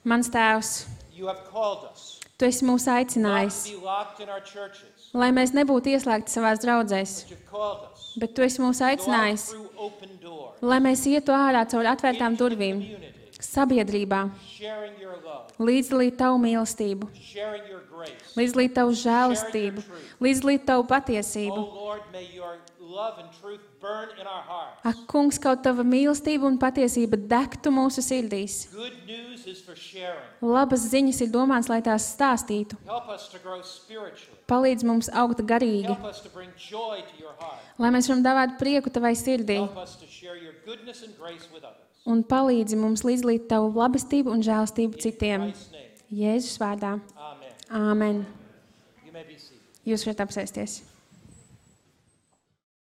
Mans Tēvs, you have called us Tu esi mūs not aicinājis, to be locked in our churches, lai mēs nebūtu ieslēgti savās draudzēs, but you've called us bet Tu esi mūs to go out aicinājis, through open doors, lai mēs ietu ārā caur atvērtām into the durvīm, community, sabiedrībā, sharing your love, līdzdalīt Tavu mīlestību, sharing your grace. līdzdalīt Tavu žēlastību, līdzdalīt Tavu Oh, patiesību. Lord, may your love and truth burn in our hearts. Ak, kungs, kaut Tava mīlestība un patiesība degtu mūsu sirdīs. Good news is for sharing. Labas ziņas ir domāts, lai tās stāstītu. Help us to grow spiritually. Palīdz mums augt garīgi, Help us to bring joy to your heart. lai mēs varam dāvāt prieku Tavai sirdī. Help us to share your goodness and grace with others. Un palīdzi mums līdzdalīt Tavu labestību un žēlastību In citiem. Christ's name, Jēzus vārdā. amen. Āmen. You may be seated. Jūs varat apsēsties.